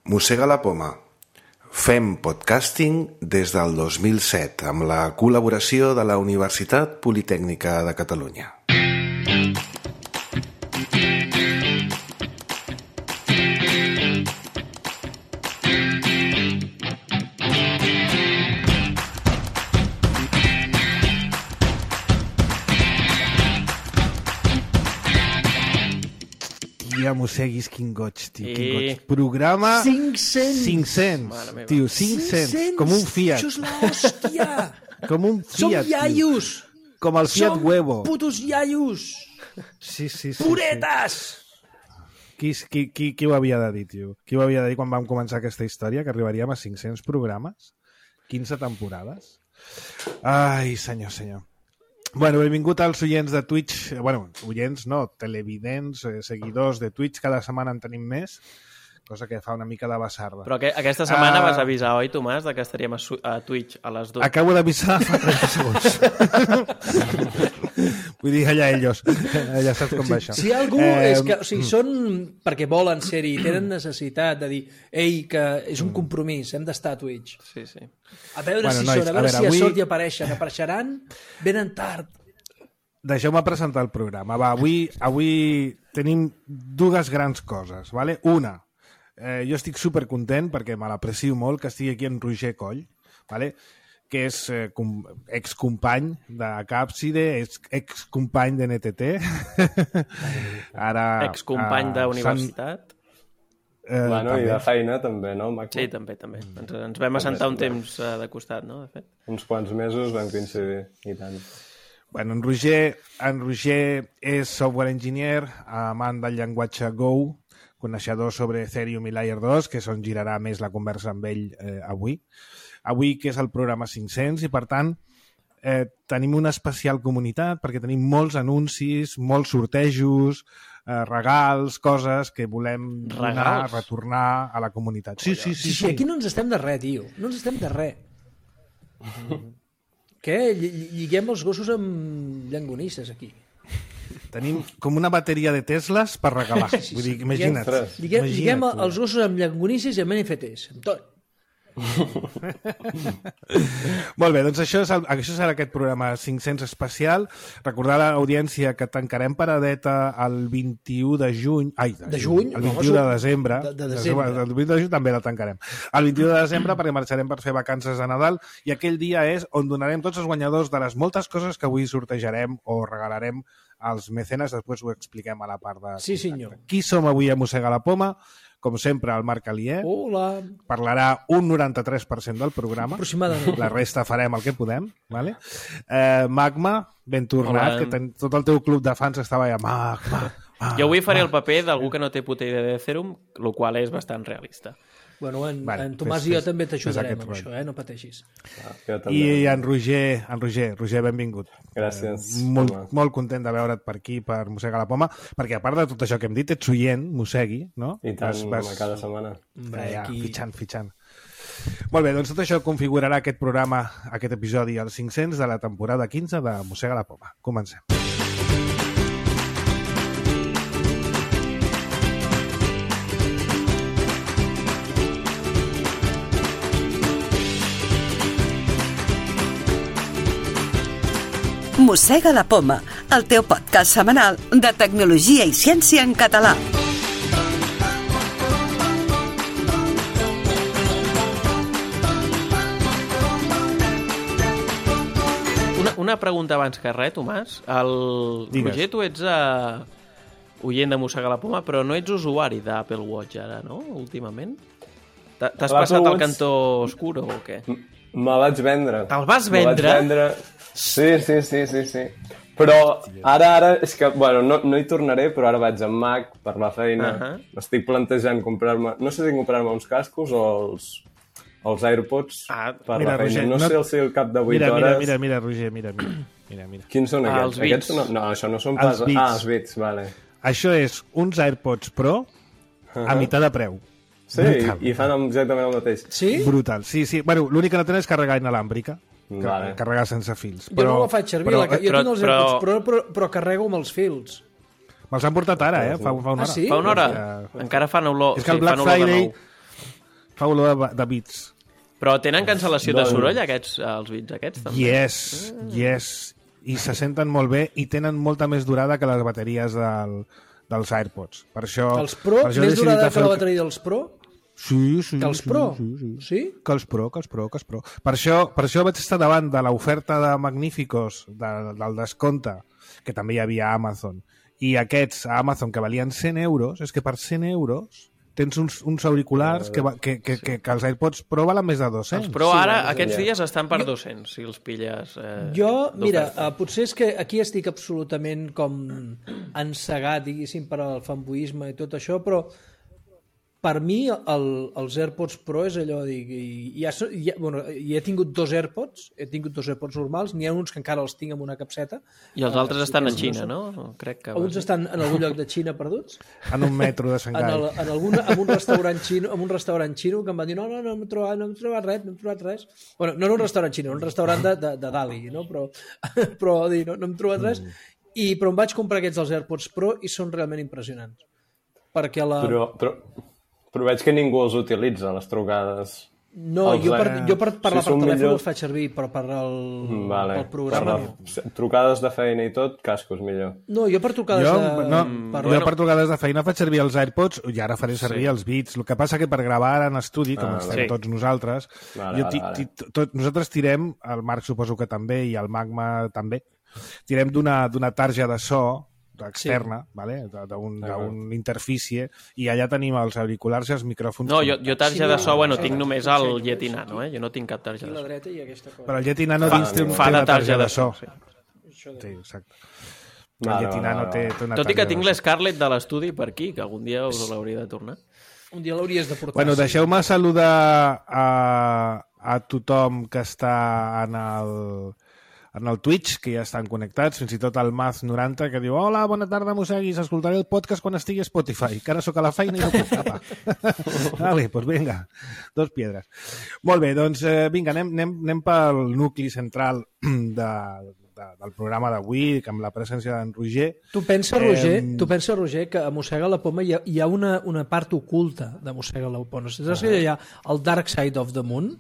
Mossega la poma. Fem podcasting des del 2007 amb la col·laboració de la Universitat Politècnica de Catalunya. Ja mosseguis, quin goig, tio, quin goig. Programa 500. Tio, 500. Com un Fiat. Això és l'hòstia. Com un Fiat, Som iaios. Com el Fiat Huevo. Som putos iaios. Sí. Puretes. Qui ho havia de dir, tio? Qui ho havia de dir quan vam començar aquesta història, que arribaríem a 500 programes? 15 temporades? Ai, senyor. Bueno, benvingut als oients de Twitch. Bueno, oients no, televidents, seguidors de Twitch. Cada setmana en tenim més, cosa que fa una mica de basarda. Però aquesta setmana vas avisar, oi, Tomàs, que estaríem a Twitch a les 2? Acabo d'avisar fa 30 segons. Vull dir, allà ells. Ja saps com va això. Si algú és que... O sigui, són perquè volen ser-hi, tenen necessitat de dir ei, que és un compromís, hem d'estar a Twitch. Sí. A veure si són, a veure si a sort hi apareixen. Apareixeran, venen tard. Deixeu-me presentar el programa. Va, avui tenim dues grans coses. Vale? Una, jo estic supercontent perquè me l'aprecio molt que estigui aquí en Roger Coll, vale? Que és excompany de Càpside, excompany de NTT. Ara, excompany d'universitat. Bueno, i de feina també, no, Mac? Sí, també. Ens vam assentar un temps de costat, no, de fet? Uns quants mesos vam coincidir, i tant. Bueno, en Roger és software engineer, amant del llenguatge Go, coneixedor sobre Ethereum i Layer 2, que és on girarà més la conversa amb ell avui. Avui, que és el programa 500, i per tant tenim una especial comunitat perquè tenim molts anuncis, molts sortejos, regals, coses que volem donar, retornar a la comunitat. Sí. Aquí no ens estem de res, tio. No ens estem de res. Què? Lliguem els gossos amb llangonisses, aquí. Tenim com una bateria de Teslas per regalar. Vull dir, imagina't. Lliguem els gossos amb llangonisses i amb NFTs, amb tot. Molt bé, doncs això serà aquest programa 500 especial. Recordar a l'audiència que tancarem paradeta el 21 de juny. De juny? El 21 de desembre. De desembre. El 21 de juny també la tancarem. El 21 de desembre perquè marxarem per fer vacances de Nadal i aquell dia és on donarem tots els guanyadors de les moltes coses que avui sortejarem o regalarem als mecenes. Després ho expliquem a la part de... Sí, senyor. Qui som avui a Mossega la Poma? Com sempre, el Marc Alier. Hola. Parlarà un 93% del programa. Aproximadament. La resta farem el que podem. Vale? Magma, ben tornat, que tot el teu club de fans estava allà. Magma. Jo avui faré el paper d'algú que no té puta idea d'Ethereum, el qual és bastant realista. Bueno, en Tomàs i jo també t'ajudarem amb això, no pateixis. I en Roger, benvingut. Gràcies. Molt content de veure't per aquí, per Mossegar la Poma, perquè a part de tot això que hem dit, ets oient, mossegui, no? I tant, cada setmana. Fitxant. Molt bé, doncs tot això configurarà aquest programa, aquest episodi, el 500 de la temporada 15 de Mossega la Poma. Comencem. Mossega la Poma, el teu podcast setmanal de tecnologia i ciència en català. Una pregunta abans que res, Tomàs. Roger, tu ets oient de Mossega la Poma, però no ets usuari d'Apple Watch ara, no? Últimament? T'has passat al cantó oscuro o què? Me vaig vendre. Te'l vas vendre? Sí. Però ara és que, bueno, no hi tornaré, però ara vaig amb Mac per la feina. M'estic plantejant comprar-me... No sé si comprar-me uns cascos o els AirPods per la feina. No sé si al cap de 8 hores... Mira, Roger, mira. Quins són aquests? Els Beats. No, això no són pas... Els Beats, vale. Això és uns AirPods Pro a meitat de preu. Sí, i fan exactament el mateix. Sí? Brutal, sí. Bueno, l'únic que no tenen és carregar inalàmbrica. Carregar sense fils. Jo no la faig servir, jo tinc els AirPods, però carrego amb els fils. Me'ls han portat ara, fa una hora. Ah, sí? Fa una hora? Encara fan olor. És que el Black Friday Fa olor de bits. Però tenen cancel·lació de soroll, els bits aquests, també? Yes. I se senten molt bé i tenen molta més durada que les bateries dels AirPods. Per això... Els Pro? Més durada que la bateria dels Pro? Sí. Que els Pro? Sí? Que els Pro. Per això vaig estar davant de l'oferta de Magníficos, del descompte, que també hi havia a Amazon, i aquests a Amazon que valien 100 euros, és que per 100 euros tens uns auriculars que els AirPods Pro valen més de 200. Els Pro ara, aquests dies, estan per 200, si els pilles mira, potser és que aquí estic absolutament com encegat, diguéssim, per al fanboisme i tot això, però per mi els AirPods Pro és allò de dir... he tingut dos AirPods normals, n'hi ha uns que encara els tinc amb una capseta. I els altres estan a Xina, no? Crec que... Uns estan en algun lloc de Xina perduts. En un metro de Xangai. En un restaurant xino que em van dir no hem trobat res. Bueno, no era un restaurant xino, era un restaurant de Dali, no? Però no hem trobat res. Però em vaig comprar aquests dels AirPods Pro i són realment impressionants. Perquè Però veig que ningú els utilitza, les trucades. No, jo per parlar per telèfon els faig servir, però per pel programa no. Trucades de feina i tot, cascos millor. No, jo per trucades jo per trucades de feina faig servir els AirPods i ara faré servir els Beats. El que passa que per gravar ara en estudi, com estem tots nosaltres, nosaltres tirem, el Marc suposo que també i el Magma també, tirem d'una tarja de so externa, vale? d'un interfície, i allà tenim els auriculars i els micròfons. No, jo tarja de so, tinc només el Yeti Nano, jo no tinc cap tarja de so. Però el Yeti Nano dins té una tarja de so. Sí, exacte. El Yeti Nano té una tarja de so. Tot i que tinc l'Scarlett de l'estudi per aquí, que algun dia us l'hauria de tornar. Un dia l'hauries de portar. Bueno, deixeu-me saludar a tothom que està en el Twitch, que ja estan connectats, fins i tot el Maz90, que diu hola, bona tarda, mosseguis, escoltaré el podcast quan estigui a Spotify, que ara sóc a la feina i no puc tapar. Vale, doncs vinga, 2 piedres. Molt bé, doncs vinga, anem pel nucli central del programa d'avui, amb la presència d'en Roger. Tu pensa, Roger, que a Mossega la Poma hi ha una part oculta de Mossega la Poma. Saps que hi ha el Dark Side of the Moon?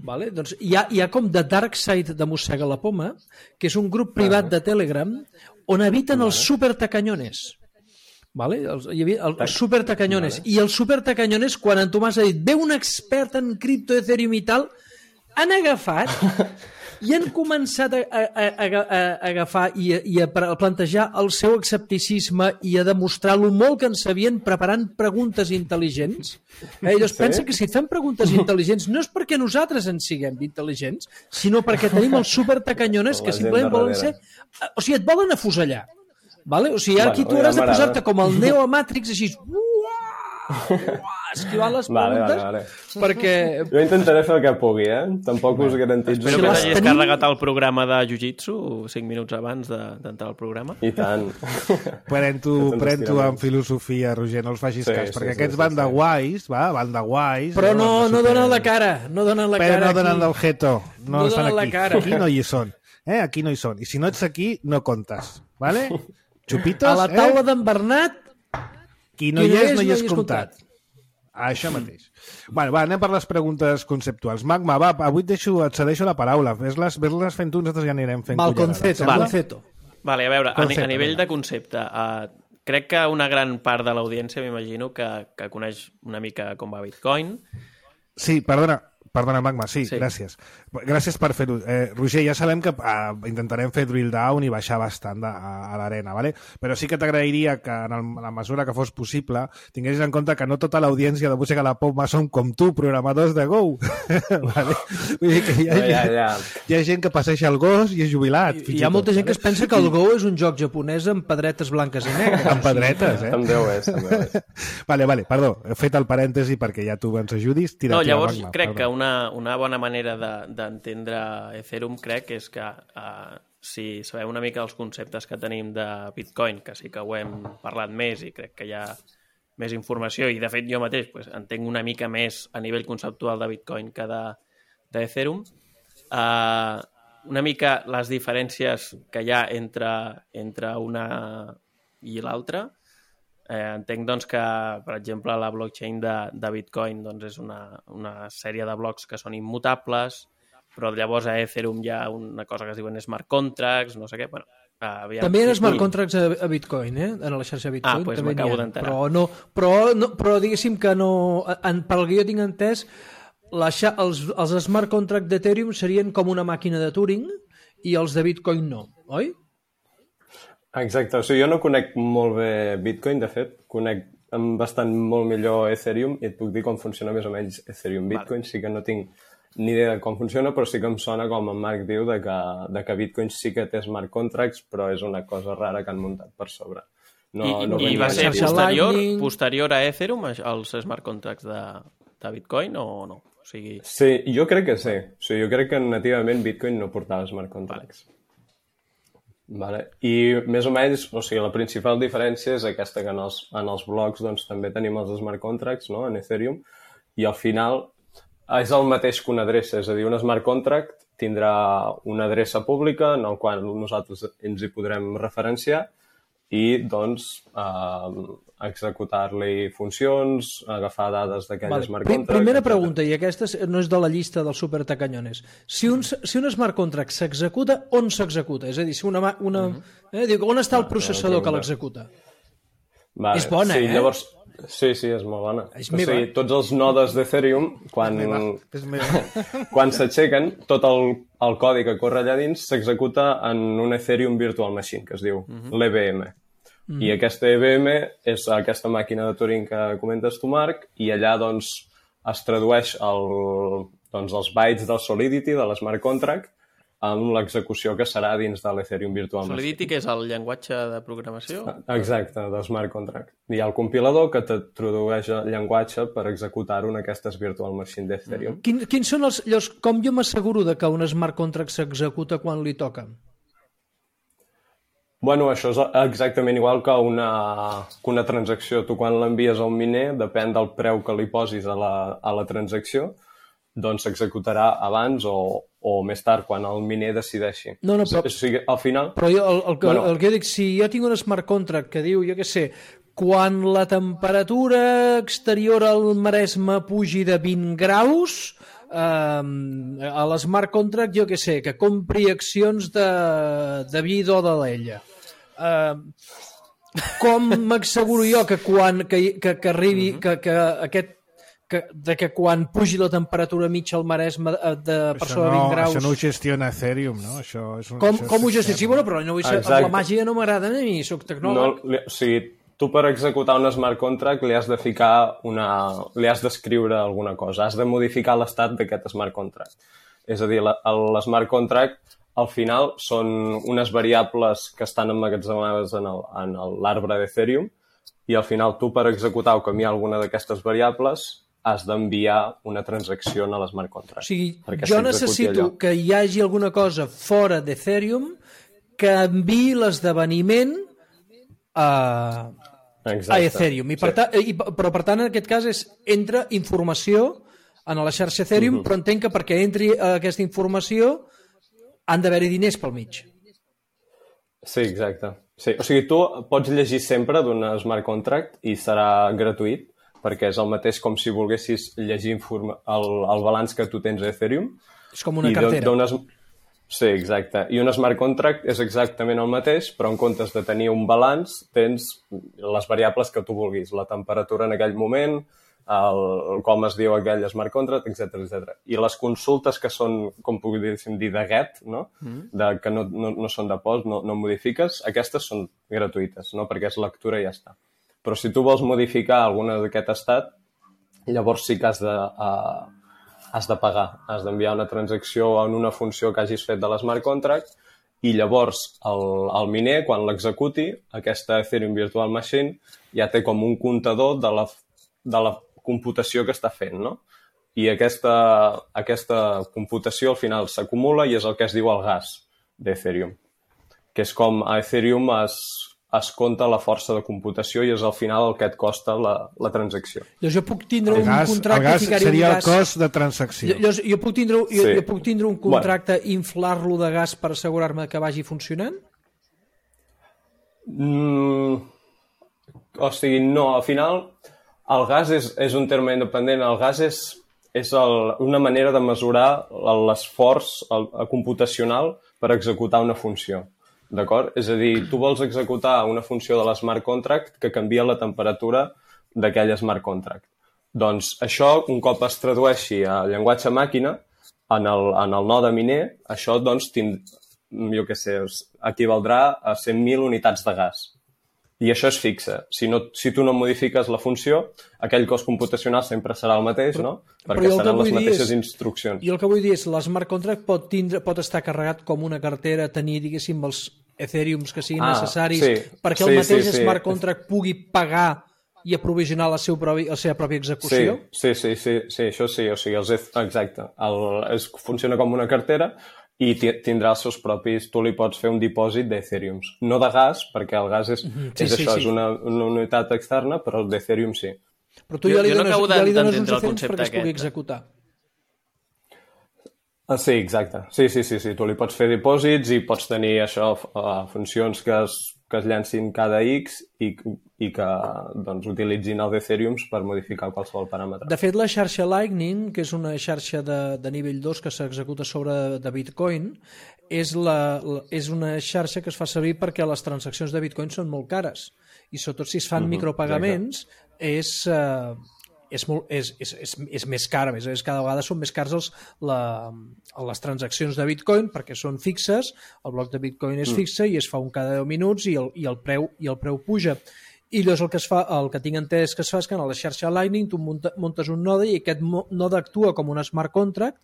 Vale? Doncs hi ha com The Dark Side de Mossega la Poma, que és un grup privat de Telegram on habiten els supertacanyones. Vale? Hi havia els supertacanyones. I els supertacanyones, quan en Tomàs ha dit ve un expert en cripto, Ethereum i tal, han agafat i han començat a agafar i a plantejar el seu escepticisme i a demostrar lo molt que en sabien preparant preguntes intel·ligents. Llavors pensa que si et fan preguntes intel·ligents no és perquè nosaltres en siguem intel·ligents, sinó perquè tenim els supertacanyones que simplement volen ser... O sigui, et volen afusellar. Vale? O sigui, aquí tu hauràs de posar-te com el Neo a Matrix, així... esquivant les preguntes perquè... Jo intentaré fer el que pugui, tampoc us garantitzo. Espero que t'hagis carregat el programa de Jiu-Jitsu 5 minuts abans d'entrar al programa. I tant. Pren-t'ho amb filosofia, Roger, no els facis cas, perquè aquests van de guais, van de guais... Però no donen la cara, no donen la cara. Però no donen el jeto, no estan aquí. Aquí no hi són, aquí no hi són. I si no ets aquí, no comptes, vale? Xupitos, a la taula d'en Bernat, qui no hi és, no hi és comptat. Això mateix. Bueno, va, anem per les preguntes conceptuals. Magma, va, avui et cedeixo la paraula. Ves-les fent tu, nosaltres ja anirem fent conceto. Vale, a veure, a nivell de concepte, crec que una gran part de l'audiència m'imagino que coneix una mica com va Bitcoin. Sí, perdona, Magma, sí, gràcies. Gràcies per fer-ho. Roger, ja sabem que intentarem fer drill down i baixar bastant a l'arena, ¿vale? Però sí que t'agrairia que en la mesura que fos possible tinguessis en compte que no tota l'audiència de Música a la Poma són com tu, programadors de Go. ¿Vale? Vull dir que hi ha gent que passeja el gos i és jubilat. Hi ha molta gent que es pensa que el Go és un joc japonès amb pedretes blanques i negres. Amb pedretes, També ho és. Vale, perdó, he fet el parèntesi perquè ja tu ens ajudis. No, llavors crec que una bona manera d'entendre Ethereum crec és que si sabem una mica els conceptes que tenim de Bitcoin, que sí que ho hem parlat més i crec que hi ha més informació i de fet jo mateix entenc una mica més a nivell conceptual de Bitcoin que d'Ethereum, una mica les diferències que hi ha entre una i l'altra, Entenc doncs, que, per exemple, la blockchain de Bitcoin doncs, és una sèrie de blocs que són immutables, però llavors a Ethereum hi ha una cosa que es diuen smart contracts, no sé què. Bueno, també hi ha smart contracts a Bitcoin, en la xarxa Bitcoin. Doncs m'acabo d'enterar. Però diguéssim que no... Pel que jo tinc entès, els smart contracts d'Ethereum serien com una màquina de Turing i els de Bitcoin no, oi? Exacte, o sigui, jo no conec molt bé Bitcoin, de fet, conec bastant molt millor Ethereum i et puc dir com funciona més o menys Ethereum. Bitcoin sí que no tinc ni idea de com funciona, però sí que em sona, com en Marc diu, de que Bitcoin sí que té smart contracts, però és una cosa rara que han muntat per sobre. I va ser posterior a Ethereum, els smart contracts de Bitcoin, o no? O sigui... Sí, jo crec que sí. O sigui, jo crec que nativament Bitcoin no portava smart contracts. Vale. I més o menys, o sigui, la principal diferència és aquesta, que en els blocs doncs, també tenim els smart contracts, no?, en Ethereum, i al final és el mateix que una adreça, és a dir, un smart contract tindrà una adreça pública en el qual nosaltres ens hi podrem referenciar i, doncs, executar-li funcions, agafar dades d'aquell smart contract... Primera pregunta, i aquesta no és de la llista dels supertacanyones. Si un smart contract s'executa, on s'executa? És a dir, si on està el processador que l'executa? Vale. És bona, sí, llavors, sí, és molt bona. És meva. O sigui, tots els nodes d'Ethereum, quan s'aixequen, tot el codi que corre allà dins s'executa en un Ethereum Virtual Machine, que es diu l'EVM. I aquesta EVM és aquesta màquina de Turing que comentes tu, Marc, i allà doncs, es tradueix els bytes del Solidity, de l'Smart Contract, amb l'execució que serà dins de l'Ethereum Virtual Machine. Solidity, que és el llenguatge de programació? Exacte, del Smart Contract. Hi ha el compilador que te tradueix el llenguatge per executar-ho en aquestes Virtual Machine d'Ethereum. Quins són com jo m'asseguro de que un Smart Contract s'executa quan li toca? Bueno, això és exactament igual que una transacció. Tu quan l'envies a un miner, depèn del preu que li posis a la transacció, doncs s'executarà abans o més tard, quan el miner decideixi. No, però... O sigui, al final... Però el que jo dic, si jo tinc un smart contract que diu, jo què sé, quan la temperatura exterior al Maresme pugi de 20 graus, a l'smart contract, jo què sé, que compri accions de vi d'O de l'Ella. Com m'asseguro jo que arribi, que quan pugi la temperatura mitja al Maresme per sobre 20 graus... Això no ho gestiona Ethereum, no? Com ho gestiona? Sí, bueno, però la màgia no m'agrada a mi, soc tecnòleg. O sigui, tu per executar un smart contract li has de ficar li has d'escriure alguna cosa, has de modificar l'estat d'aquest smart contract. És a dir, l'smart contract al final són unes variables que estan emmagatzemades en l'arbre d'Ethereum i al final tu per executar o canviar alguna d'aquestes variables has d'enviar una transacció a l'smart contract. O sigui, jo necessito que hi hagi alguna cosa fora d'Ethereum que enviï l'esdeveniment a Ethereum. Però per tant, en aquest cas, entra informació en la xarxa Ethereum, però entenc que perquè entri aquesta informació han d'haver-hi diners pel mig. Sí, exacte. Sí. O sigui, tu pots llegir sempre d'un smart contract i serà gratuït, perquè és el mateix com si volguessis llegir el balanç que tu tens a Ethereum. És com una cartera. Sí, exacte. I un smart contract és exactament el mateix, però en comptes de tenir un balanç, tens les variables que tu vulguis, la temperatura en aquell moment, com es diu aquell smart contract, etc. I les consultes que són, com podríem dir, de get, no? Que no són de post, no modifiques, aquestes són gratuïtes, no? Perquè és lectura i ja està. Però si tu vols modificar alguna d'aquest estat, llavors sí que has de pagar, has d'enviar una transacció en una funció que hagis fet de l'smart contract i llavors el miner, quan l'executi, aquesta Ethereum Virtual Machine ja té com un comptador de la computació que està fent, no? I aquesta computació al final s'acumula i és el que es diu el gas d'Ethereum, que és com a Ethereum es compta la força de computació i és al final el que et costa la transacció. Llavors jo puc tindre un contracte... El gas seria el cost de transacció. Jo puc tindre un contracte i inflar-lo de gas per assegurar-me que vagi funcionant? O sigui, no, al final el gas és un terme independent. El gas és una manera de mesurar l'esforç computacional per executar una funció. D'acord? És a dir, tu vols executar una funció de l'smart contract que canvia la temperatura d'aquell smart contract. Doncs això, un cop es tradueixi a llenguatge màquina, en el node miner, això, doncs, equivaldrà a 100.000 unitats de gas. I això és fixe. Si tu no modifiques la funció, aquell cost computacional sempre serà el mateix, no? Perquè seran les mateixes instruccions. I el que vull dir és, l'smart contract pot estar carregat com una cartera, tenir, diguéssim, els Ethereums que siguin necessaris, perquè el mateix smart contract pugui pagar i aprovisionar la seva pròpia execució? Sí, això sí. O sigui, exacte. Funciona com una cartera i tindrà els seus propis... Tu li pots fer un dipòsit d'Ethereums. No de gas, perquè el gas és una unitat externa, però el d'Ethereum sí. Però tu ja li dones uns Ethereums perquè es pugui executar. Sí, exacte. Sí. Tu li pots fer dipòsits i pots tenir això, funcions que es llancin cada X i que doncs, utilitzin els Ethereums per modificar qualsevol paràmetre. De fet, la xarxa Lightning, que és una xarxa de nivell 2 que s'executa sobre de Bitcoin, és una xarxa que es fa servir perquè les transaccions de Bitcoin són molt cares. I sobretot si es fan micropagaments és més car, a més cada vegada són més cars les transaccions de Bitcoin perquè són fixes, el bloc de Bitcoin és fixe i es fa un cada 10 minuts i el preu puja. I llavors el que tinc entès que es fa és que a la xarxa Lightning tu muntes un node i aquest node actua com un smart contract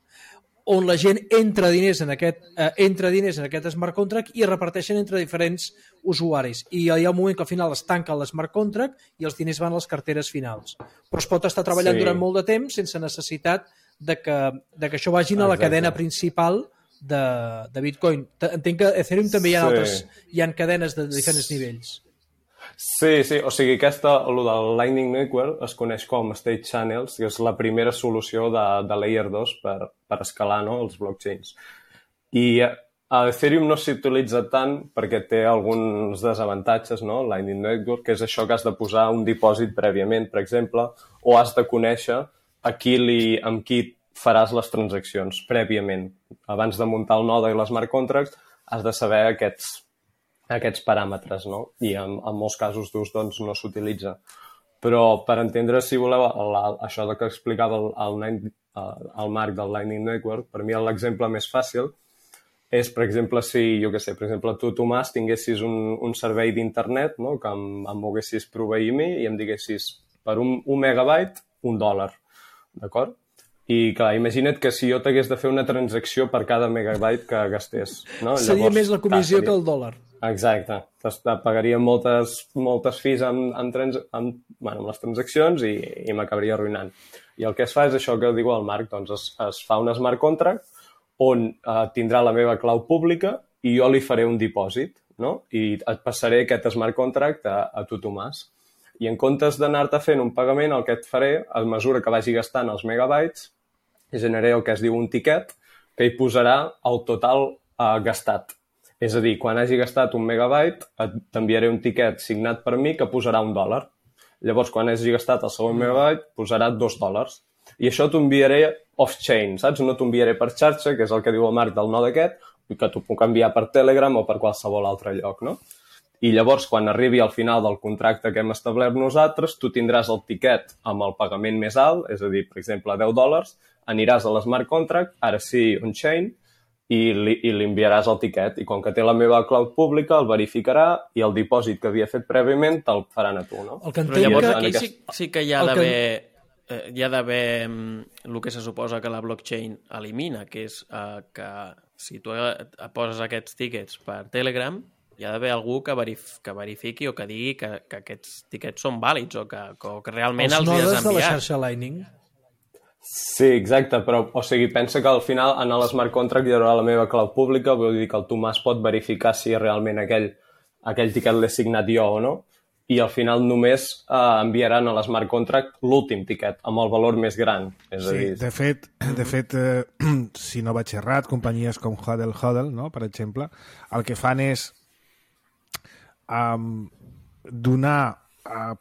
on la gent entra diners en aquest smart contract i es reparteixen entre diferents usuaris. I hi ha un moment que al final es tanca l'smart contract i els diners van a les carteres finals. Però es pot estar treballant durant molt de temps sense necessitat de que això vagin a la cadena principal de Bitcoin. Entenc que a Ethereum també hi ha cadenes de diferents nivells. Sí, o sigui, el del Lightning Network es coneix com State Channels, que és la primera solució de Layer 2 per escalar els blockchains. I a Ethereum no s'utilitza tant perquè té alguns desavantatges, no? Lightning Network, que és això que has de posar un dipòsit prèviament, per exemple, o has de conèixer amb qui faràs les transaccions prèviament. Abans de muntar el node i l'smart contract has de saber aquests paràmetres, no? I en molts casos d'ús doncs, no s'utilitza. Però per entendre, si voleu, això que explicava el Marc del Lightning Network, per mi l'exemple més fàcil és, per exemple, si, per exemple, tu, Tomàs, tinguessis un servei d'internet, no? Que em volguessis proveir a mi i em diguessis per un megabyte, $1, d'acord? I clar, imagina't que si jo t'hagués de fer una transacció per cada megabyte que gastés. No? Seria més la comissió que el dòlar. Exacte. Pagaria moltes fees amb les transaccions i m'acabaria arruïnant. I el que es fa és això que diu el Marc, doncs es fa un smart contract on tindrà la meva clau pública i jo li faré un dipòsit, no? I et passaré aquest smart contract a tu, Tomàs. I en comptes d'anar-te fent un pagament, el que et faré, a mesura que vagi gastant els megabytes, generaré el que es diu un tiquet que hi posarà el total gastat. És a dir, quan hagi gastat un megabyte, t'enviaré un tiquet signat per mi que posarà $1. Llavors, quan hagi gastat el segon megabyte, posarà $2. I això t'ho enviaré off-chain, saps? No t'ho enviaré per xarxa, que és el que diu el Marc del node aquest, i que t'ho puc enviar per Telegram o per qualsevol altre lloc, no? I llavors, quan arribi al final del contracte que hem establert nosaltres, tu tindràs el tiquet amb el pagament més alt, és a dir, per exemple, $10, aniràs a l'smart contract, ara sí, on-chain, i li enviaràs el tiquet. I com que té la meva cloud pública, el verificarà i el dipòsit que havia fet prèviament te'l faran a tu, no? Però llavors aquí sí que hi ha d'haver el que se suposa que la blockchain elimina, que és que si tu poses aquests tiquets per Telegram, hi ha d'haver algú que verifiqui o que digui que aquests tiquets són vàlids o que realment els has enviat. Els nodes de la xarxa Lightning. Sí, exacte, però o sigui, pensa que al final en l'smart contract hi haurà la meva clau pública, vull dir que el Tomàs pot verificar si realment aquell tiquet l'he signat jo o no, i al final només enviaran a l'smart contract l'últim tiquet, amb el valor més gran. És a dir... De fet, si no vaig errat, companyies com Hodl, no? Per exemple, el que fan és donar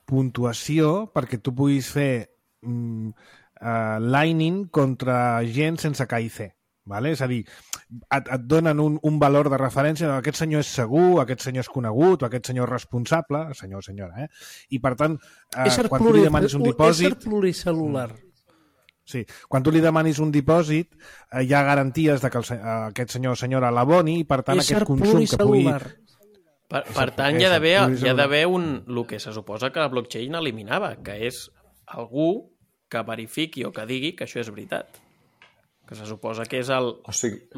puntuació perquè tu puguis fer Lightning contra gent sense K i C. Vale? És a dir, et donen un valor de referència de aquest senyor és segur, aquest senyor és conegut, o aquest senyor és responsable, senyor o senyora, I per tant, quan tu li demanis un dipòsit... És pluricel·lular. Sí, quan tu li demanis un dipòsit, hi ha garanties de que aquest senyor o senyora l'aboni i per tant aquest consum que pugui... Per tant, hi ha d'haver el que se suposa que la blockchain eliminava, que és algú que verifiqui o que digui que això és veritat. Que se suposa que és el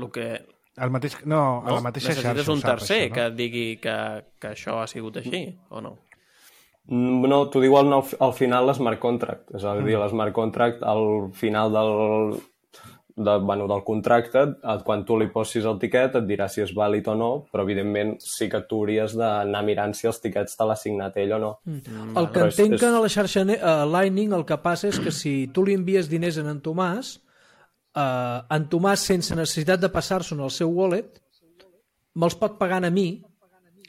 que... a la mateixa xarxa. Necessites un tercer que et digui que això ha sigut així, o no? No, t'ho diu al final l'smart contract. És a dir, l'smart contract al final del contracte, quan tu li posis el tiquet et dirà si és vàlid o no, però evidentment sí que tu hauries d'anar mirant si els tiquets te l'ha signat ell o no. El que entenc que a la xarxa Lightning el que passa és que si tu li envies diners a en Tomàs, en Tomàs, sense necessitat de passar-se al seu wallet, me'ls pot pagar a mi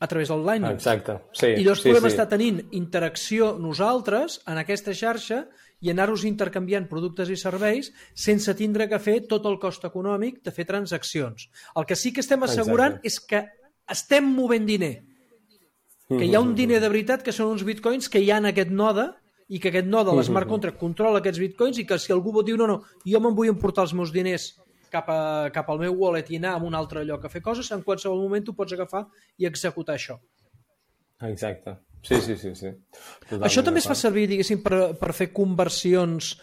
a través del Lightning. Exacte, sí. I llavors podem estar tenint interacció nosaltres en aquesta xarxa i anar-nos intercanviant productes i serveis sense tindre que fer tot el cost econòmic de fer transaccions. El que sí que estem assegurant és que estem movent diner. Que hi ha un diner de veritat que són uns bitcoins que hi ha en aquest node i que aquest node, l'smart contract, controla aquests bitcoins i que si algú pot dir no, jo me'n vull emportar els meus diners cap al meu wallet i anar a un altre lloc a fer coses, en qualsevol moment tu pots agafar i executar això. Exacte. Sí. Totalment això també es fa servir, diguéssim, per fer conversions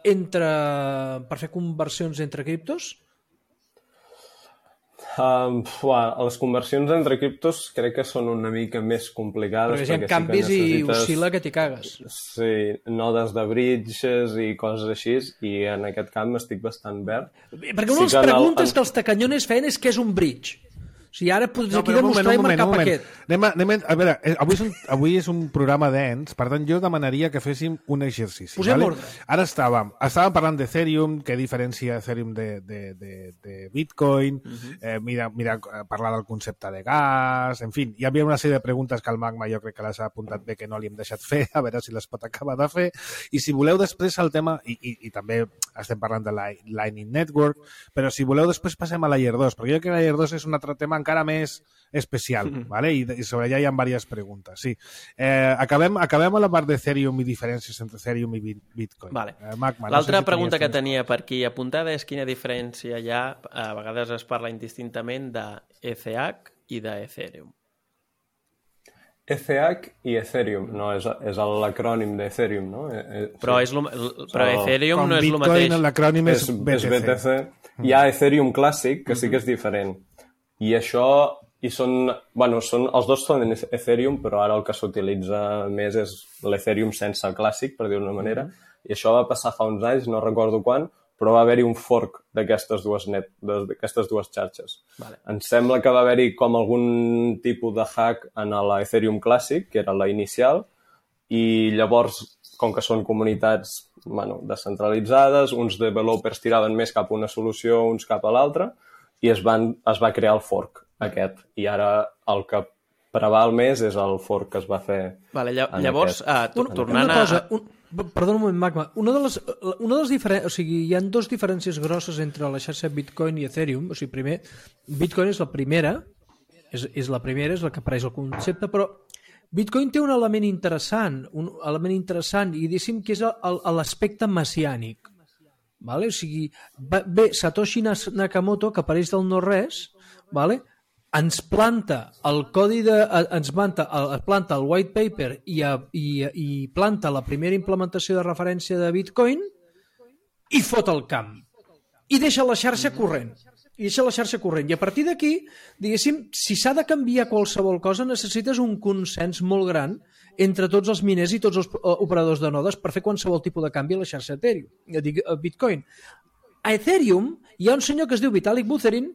entre criptos? Les conversions entre criptos crec que són una mica més complicades. Perquè hi ha canvis i oscil·la que t'hi cagues. Sí, nodes de bridges i coses així, i en aquest camp estic bastant verd. Perquè una de les preguntes que els tacanyones feien és què és un bridge. O sigui, ara pots aquí demostrar i marcar paquet. A veure, avui és un programa dens, per tant jo demanaria que féssim un exercici. Posem ordre. Ara estàvem parlant d'Ethereum, què diferencia Ethereum de Bitcoin, parlar del concepte de gas, en fi, hi havia una sèrie de preguntes que el Magma jo crec que les ha apuntat bé que no li hem deixat fer, a veure si les pot acabar de fer, i si voleu després el tema, i també estem parlant de la Lightning Network, però si voleu després passem a Layer 2, perquè jo crec que Layer 2 és un altre tema encara més especial, ¿vale? I sobre allà hi ha diverses preguntes. Sí. Acabem a la part d'Ethereum i diferències entre Ethereum i Bitcoin. Vale. Magma, l'altra pregunta que tenia per aquí apuntada és quina diferència hi ha, a vegades es parla indistintament d'ETH i d'Ethereum. ETH i Ethereum, no, és l'acrònim d'Ethereum, no? Però Ethereum no és el mateix. Bitcoin, l'acrònim és BTC. Hi ha Ethereum clàssic, que sí que és diferent. I això, els dos són Ethereum, però ara el que s'utilitza més és l'Ethereum sense clàssic, per dir-ho d'una manera, i això va passar fa uns anys, no recordo quan, però va haver-hi un fork d'aquestes dues xarxes. Vale. Em sembla que va haver-hi com algun tipus de hack en l'Ethereum clàssic, que era la inicial, i llavors, com que són comunitats descentralitzades, uns developers tiraven més cap a una solució, uns cap a l'altra, i es va crear el fork aquest. I ara el que preval més és el fork que es va fer. Vale, llavors, tornant Perdona un moment, Magma. Una de les diferències... O sigui, hi ha dues diferències grosses entre la xarxa Bitcoin i Ethereum. O sigui, primer, Bitcoin és la primera, és la que apareix el concepte, però Bitcoin té un element interessant, i diguéssim que és l'aspecte messiànic. Vale? O sigui, Satoshi Nakamoto, que apareix del no-res, vale? Ens planta el codi planta el white paper i planta la primera implementació de referència de Bitcoin i fot el camp. I deixa la xarxa corrent. I a partir d'aquí, diguéssim, si s'ha de canviar qualsevol cosa, necessites un consens molt gran entre tots els miners i tots els operadors de nodes per fer qualsevol tipus de canvi a la xarxa Ethereum, Bitcoin. A Ethereum hi ha un senyor que es diu Vitalik Buterin,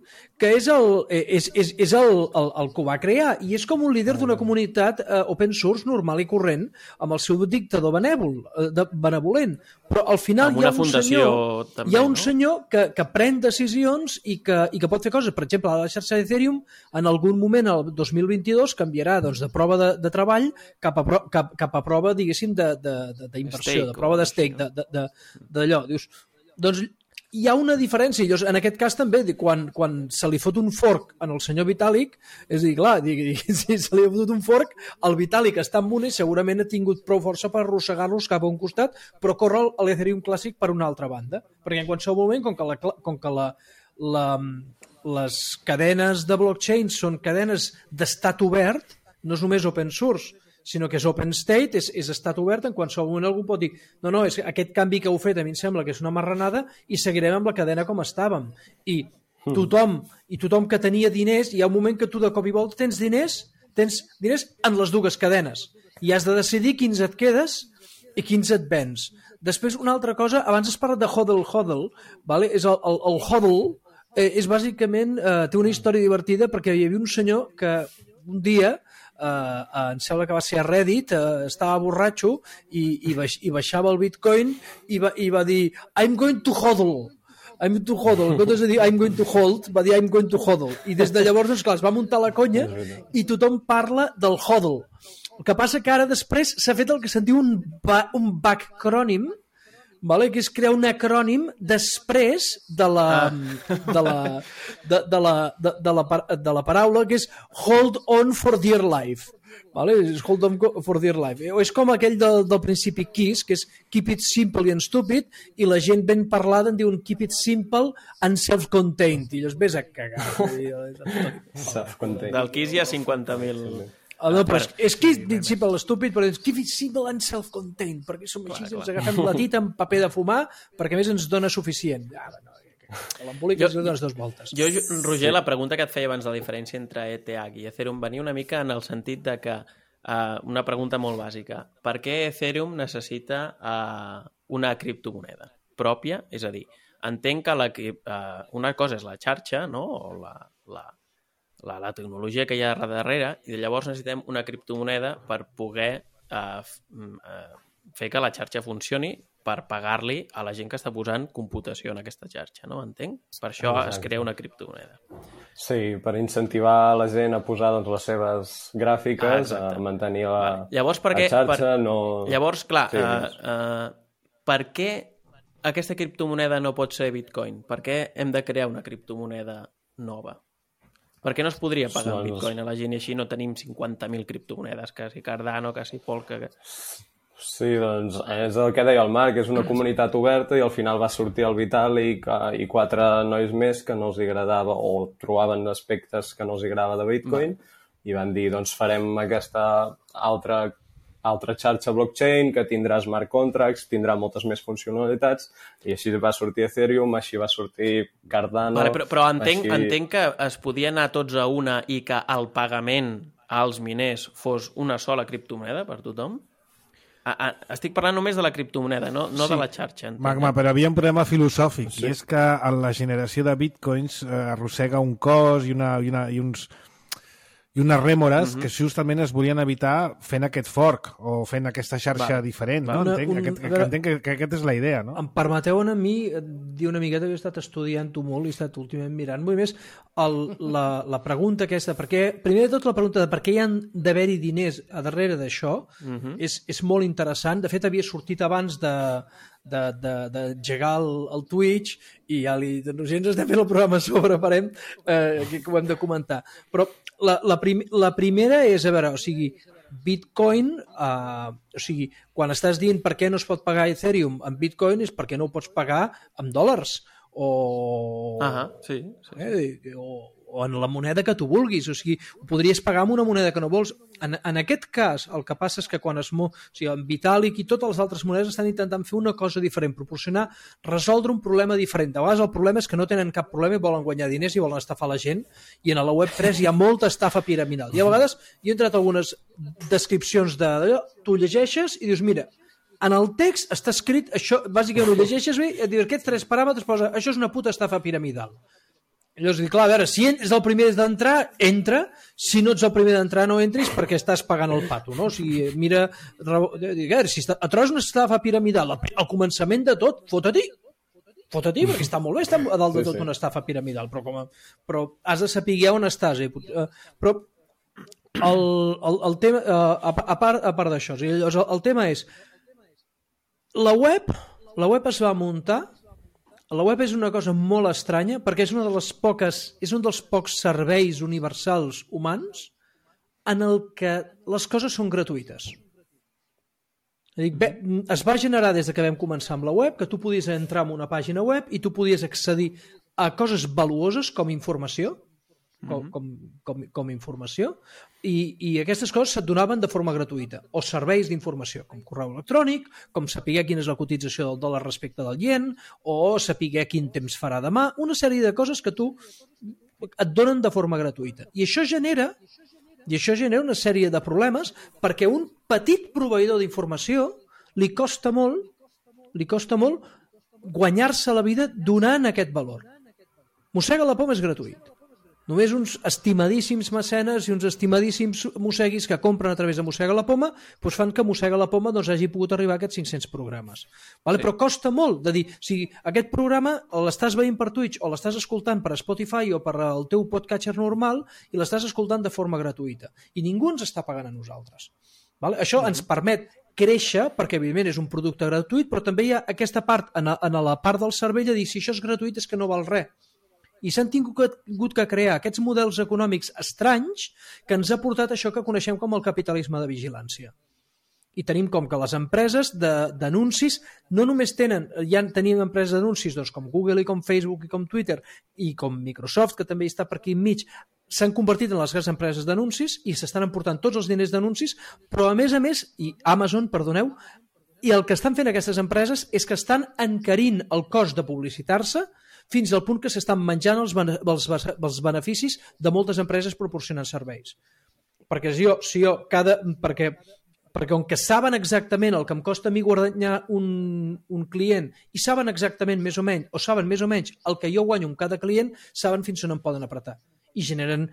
que és el que ho va crear, i és com un líder d'una comunitat open source normal i corrent, amb el seu dictador benevolent. Però al final hi ha un senyor que pren decisions i que pot fer coses. Per exemple, a la xarxa d'Ethereum, en algun moment, el 2022, canviarà de prova de treball cap a prova, diguéssim, d'inversió, de prova de stake, d'allò. Dius, doncs hi ha una diferència. En aquest cas també, quan se li fot un fork en el senyor Vitalik, és a dir, clar, si se li ha fotut un fork, el Vitalik està amb una i segurament ha tingut prou força per arrossegar-los cap a un costat, però corre l'Ethereum clàssic per una altra banda. Perquè en qualsevol moment, com que les cadenes de blockchain són cadenes d'estat obert, no és només open source, sinó que és open state, és estat obert, en qualsevol moment algú pot dir no, és aquest canvi que heu fet a mi em sembla que és una marranada i seguirem amb la cadena com estàvem. I tothom que tenia diners, hi ha un moment que tu de cop i volta tens diners en les dues cadenes i has de decidir quins et quedes i quins et vens. Després, una altra cosa, abans has parlat de hodl, vale? És el hodl és bàsicament, té una història divertida perquè hi havia un senyor que un dia em sembla que va ser a Reddit, estava borratxo i baixava el Bitcoin i va dir I'm going to hodl. En comptes de dir I'm going to hold, va dir I'm going to hodl. I des de llavors, doncs, clar, es va muntar la conya i tothom parla del hodl. El que passa que ara després s'ha fet el que se'n diu un backacrònim, vale? Que és crear un acrònim després de la paraula, que és hold on for dear life. Vale? És hold on for dear life. És com aquell del principi KISS, que és keep it simple and stupid, i la gent ben parlada en diuen keep it simple and self-contained. I llavors ves a cagar. Self-contained. Del KISS hi ha 50.000... No, però és que és simple estúpid, però és keep it simple and self-contained, perquè som així, ens agafem la tita amb paper de fumar, perquè a més ens dona suficient. L'embolic ens dones 2 voltes. Jo, Roger, la pregunta que et feia abans de la diferència entre ETH i Ethereum venia una mica en el sentit de que, una pregunta molt bàsica, per què Ethereum necessita una criptomoneda pròpia? És a dir, entenc que una cosa és la xarxa, no? O la tecnologia que hi ha darrere, i llavors necessitem una criptomoneda per poder fer que la xarxa funcioni, per pagar-li a la gent que està posant computació en aquesta xarxa, no? Entenc? Per això es crea una criptomoneda. Sí, per incentivar la gent a posar doncs, les seves gràfiques, a mantenir la xarxa. Llavors, clar, per què aquesta criptomoneda no pot ser Bitcoin? Per què hem de crear una criptomoneda nova? Per què no es podria pagar en Bitcoin a la gent i així no tenim 50.000 criptomonedes, que si Cardano, que si Polka... Sí, doncs és el que deia el Marc, és una comunitat oberta i al final va sortir el Vitalik i 4 nois més que no els agradava o trobaven aspectes que no els agradava de Bitcoin i van dir, doncs farem aquesta altra xarxa blockchain que tindrà smart contracts, tindrà moltes més funcionalitats i així va sortir Ethereum, així va sortir Cardano... Però entenc que es podia anar tots a una i que el pagament als miners fos una sola criptomoneda per tothom? Estic parlant només de la criptomoneda, no de la xarxa. Magma, però havia un problema filosòfic, i és que la generació de bitcoins arrossega un cost i unes rèmores que justament es volien evitar fent aquest fork o fent aquesta xarxa diferent, no? Entenc que aquesta és la idea, no? Em permeteu a mi dir una miqueta que he estat estudiant-ho molt i he estat últimament mirant molt més la pregunta aquesta, perquè primer de tot la pregunta de per què hi han d'haver-hi diners a darrere d'això és molt interessant. De fet, havia sortit abans d'engegar el Twitch i ja ens estem fent el programa sobre, parem, que ho hem de comentar. Però la primera és, a veure, o sigui, Bitcoin, o sigui, quan estàs dient per què no es pot pagar Ethereum en Bitcoin és perquè no ho pots pagar en dòlars o en la moneda que tu vulguis, o sigui, ho podries pagar amb una moneda que no vols. En aquest cas, el que passa és que quan en Vitalik i totes les altres monedes estan intentant fer una cosa diferent, resoldre un problema diferent. A vegades el problema és que no tenen cap problema i volen guanyar diners i volen estafar la gent, i en la Web3 hi ha molta estafa piramidal. I a vegades hi he entrat algunes descripcions d'allò, tu llegeixes i dius, mira, en el text està escrit, això, bàsicament ho llegeixes bé, et diu, aquests 3 paràmetres posa, això és una puta estafa piramidal. Llavors, clar, a veure, si és el primer d'entrar, entra, si no ets el primer d'entrar, no entris perquè estàs pagant el pato, no? O sigui, mira, si et trobes una estafa piramidal al començament de tot, fota-t'hi, perquè està molt bé, està a dalt de tot una estafa piramidal, però has de saber on estàs. Però el tema, a part d'això, el tema és, la web es va muntar. La web és una cosa molt estranya perquè és un dels pocs serveis universals humans en el que les coses són gratuïtes. Es va generar des que vam començar amb la web que tu podies entrar en una pàgina web i tu podies accedir a coses valuoses com informació, com informació, i aquestes coses se't donaven de forma gratuïta, o serveis d'informació, com correu electrònic, com saber quina és la cotització del dòlar respecte del ien, o saber quin temps farà demà, una sèrie de coses que tu et donen de forma gratuïta. I això genera una sèrie de problemes perquè un petit proveïdor d'informació li costa molt guanyar-se la vida donant aquest valor. Mossega la poma és gratuït. Només uns estimadíssims mecenes i uns estimadíssims mosseguis que compren a través de Mossega la Poma doncs fan que Mossega la Poma hagi pogut arribar a aquests 500 programes. Vale? Sí. Però costa molt de dir, si aquest programa l'estàs veient per Twitch o l'estàs escoltant per Spotify o per el teu podcatcher normal i l'estàs escoltant de forma gratuïta. I ningú ens està pagant a nosaltres. Vale? Això ens permet créixer, perquè evidentment és un producte gratuït, però també hi ha aquesta part, en la part del cervell, de dir, si això és gratuït és que no val res. I s'han tingut que crear aquests models econòmics estranys que ens ha portat això que coneixem com el capitalisme de vigilància. I tenim com que les empreses d'anuncis no només tenien empreses d'anuncis doncs, com Google i com Facebook i com Twitter i com Microsoft, que també està per aquí enmig, s'han convertit en les grans empreses d'anuncis i s'estan emportant tots els diners d'anuncis, però a més, i Amazon, perdoneu, i el que estan fent aquestes empreses és que estan encarint el cost de publicitar-se fins al punt que s'estan menjant els beneficis de moltes empreses proporcionant serveis. Perquè perquè com que saben exactament el que em costa a mi guanyar un client i saben exactament més o menys el que jo guanyo amb cada client, saben fins on em poden apretar. I generen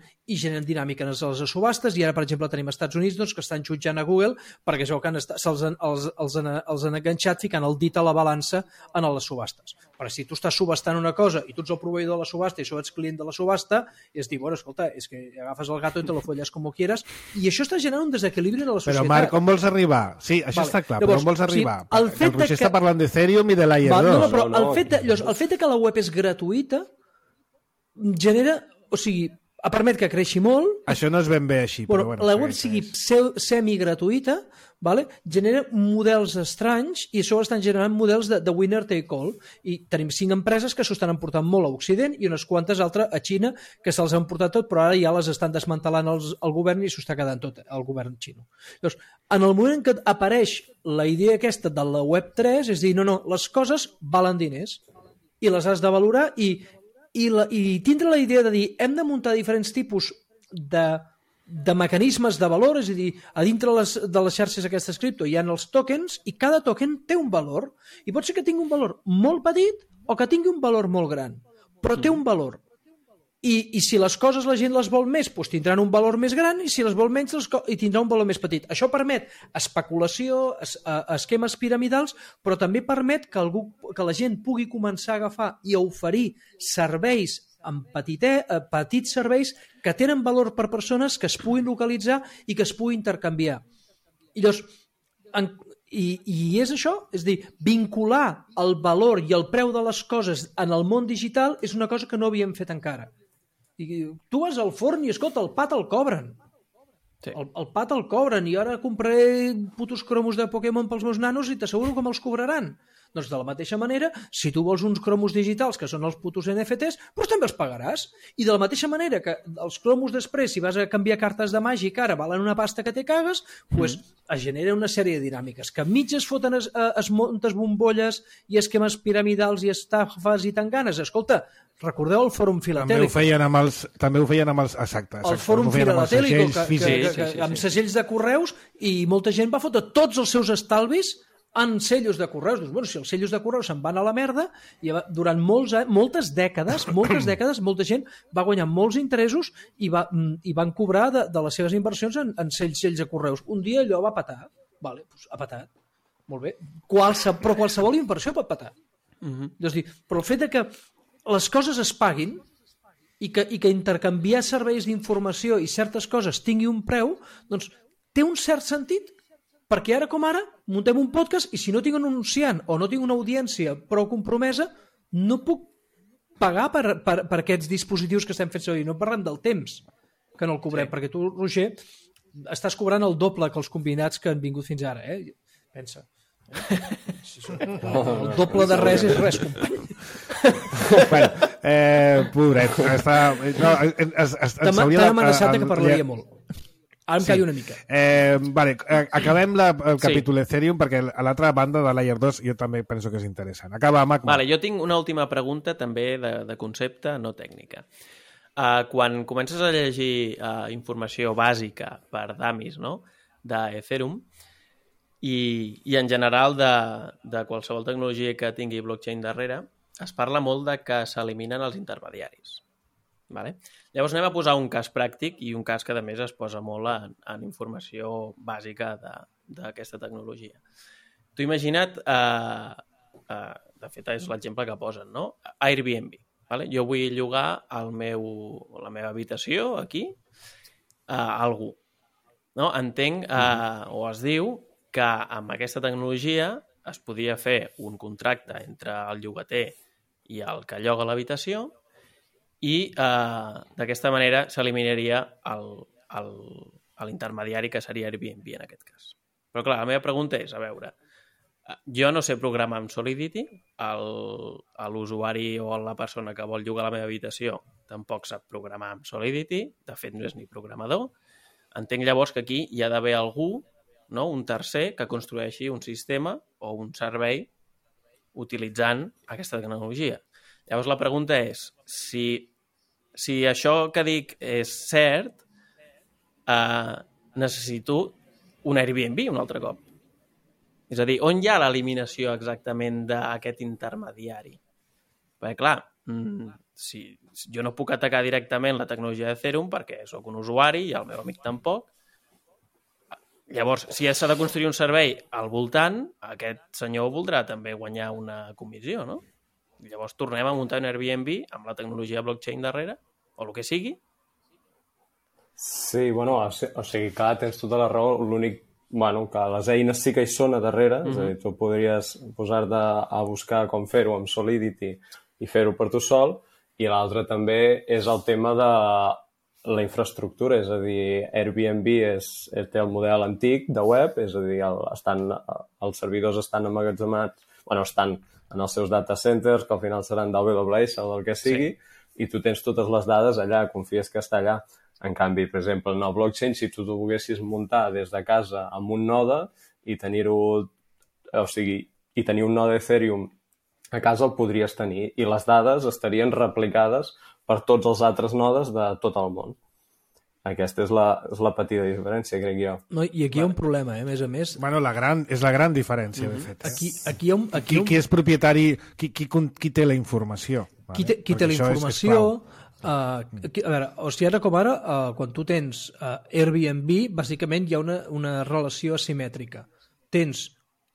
dinàmiques a les subhastes, i ara, per exemple, tenim als Estats Units doncs, que estan jutjant a Google perquè es veu que els han enganxat ficant el dit a la balança en les subhastes. Però si tu estàs subhastant una cosa i tu ets el proveïdor de la subhasta i això ets client de la subhasta, i es diu, bueno, escolta, és que agafes el gato i te lo folles com quieras, i això està generant un desequilibri en la societat. Però, Marc, on vols arribar? Sí, això està clar, però on vols arribar? El Roger està parlant d'Ethereum i de Layer 2. No, però el fet que la web és gratuïta genera... O sigui, permet que creixi molt. Això no és ben bé així. Però bueno, la web sigui semi-gratuïta, vale? Genera models estranys i això estan generant models de winner take all. I tenim 5 empreses que s'ho estan emportant molt a Occident i unes quantes altres a Xina que se'ls han portat tot, però ara ja les estan desmantelant el govern i s'ho està quedant tot el govern xino. Llavors, en el moment en què apareix la idea aquesta de la web 3, és dir, no, les coses valen diners i les has de valorar i tindre la idea de dir hem de muntar diferents tipus de mecanismes de valor, és a dir, a dintre de les xarxes aquestes cripto hi ha els tokens i cada token té un valor i pot ser que tingui un valor molt petit o que tingui un valor molt gran, però té un valor. I si les coses la gent les vol més, doncs tindran un valor més gran, i si les vol menys, tindrà un valor més petit. Això permet especulació, esquemes piramidals, però també permet que la gent pugui començar a agafar i a oferir serveis en petits serveis que tenen valor per persones que es puguin localitzar i que es puguin intercanviar. I llavors, i és això, és a dir, vincular el valor i el preu de les coses en el món digital és una cosa que no havíem fet encara. I tu vas al forn i, escolta, el pa te'l cobren. Sí. El pa te'l cobren i ara compraré putos cromos de Pokémon pels meus nanos i t'asseguro que me'ls cobraran. Doncs de la mateixa manera, si tu vols uns cromos digitals, que són els putos NFTs, doncs també els pagaràs. I de la mateixa manera que els cromos després, si vas a canviar cartes de màgic, ara valen una pasta que te cagues, doncs es genera una sèrie de dinàmiques. Que enmig es foten es montes bombolles i esquemes piramidals i estafes i tanganes. Escolta, recordeu el Fòrum Filatèlic? També ho feien amb els... Exacte. El Fòrum Filatèlic, amb segells de correus, i molta gent va fotre tots els seus estalvis en cellos de correus. Dius, bueno, si els cellos de correus se'n van a la merda, i durant moltes dècades, molta gent va guanyar molts interessos i van cobrar de les seves inversions en cells de correus. Un dia allò va petar. Vale, doncs ha petat. Molt bé. Però qualsevol inversió pot petar. És dir, però el fet que les coses es paguin i que intercanviar serveis d'informació i certes coses tingui un preu, doncs té un cert sentit. Perquè ara com ara muntem un podcast i si no tinc un anunciant o no tinc una audiència prou compromesa, no puc pagar per aquests dispositius que estem fent servir. No parlem del temps que no el cobrem, perquè tu, Roger, estàs cobrant el doble que els combinats que han vingut fins ara. Pensa. El doble de res és res, company. Pobret. T'han amenaçat que parlaria molt. Ara em callo una mica. Acabem el capítol Ethereum perquè a l'altra banda de Layer 2 jo també penso que és interessant. Acaba, Mac. Jo tinc una última pregunta també de concepte, no tècnica. Quan comences a llegir informació bàsica per dummies, no?, d'Ethereum i en general de qualsevol tecnologia que tingui blockchain darrere, es parla molt de que s'eliminen els intermediaris. Vale? Llavors anem a posar un cas pràctic i un cas que a més es posa molt en informació bàsica d'aquesta tecnologia. Tu imagina't, de fet és l'exemple que posen, no? Airbnb. Vale? Jo vull llogar la meva habitació aquí a algú. No? Entenc, o es diu, que amb aquesta tecnologia es podia fer un contracte entre el llogater i el que lloga l'habitació i d'aquesta manera s'eliminaria l'intermediari que seria Airbnb en aquest cas. Però clar, la meva pregunta és, a veure, jo no sé programar amb Solidity, l'usuari o la persona que vol llogar la meva habitació tampoc sap programar amb Solidity, de fet no és ni programador, entenc llavors que aquí hi ha d'haver algú, no? Un tercer que construeixi un sistema o un servei utilitzant aquesta tecnologia. Llavors la pregunta és, si això que dic és cert, necessito un Airbnb un altre cop. És a dir, on hi ha l'eliminació exactament d'aquest intermediari? Perquè, clar, jo no puc atacar directament la tecnologia d'Ethereum perquè sóc un usuari i el meu amic tampoc. Llavors, si s'ha de construir un servei al voltant, aquest senyor voldrà també guanyar una comissió, no? Llavors tornem a muntar un Airbnb amb la tecnologia blockchain darrere, o el que sigui. Sí, bueno, o sigui, clar, tens tota la raó. L'únic, bueno, que les eines sí que hi són a darrere, és a dir, tu podries posar-te a buscar com fer-ho amb Solidity i fer-ho per tu sol, i l'altre també és el tema de la infraestructura, és a dir, Airbnb té el model antic de web, és a dir, els servidors estan emmagatzemats, bueno, estan en els seus data centers, que al final seran d'AWS o del que sigui, i tu tens totes les dades allà, confies que està allà. En canvi, per exemple, en el blockchain, si tu volguessis muntar des de casa amb un node i tenir-ho, o sigui, i tenir un node Ethereum a casa el podries tenir, i les dades estarien replicades per tots els altres nodes de tot el món. Aquesta és la petita diferència, crec jo. No, i aquí hi ha un problema, a més a més. Bueno, és la gran diferència, de fet. Qui és propietari, qui té la informació? Qui té la informació? A veure, o sigui, ara com ara, quan tu tens Airbnb, bàsicament hi ha una relació asimètrica. Tens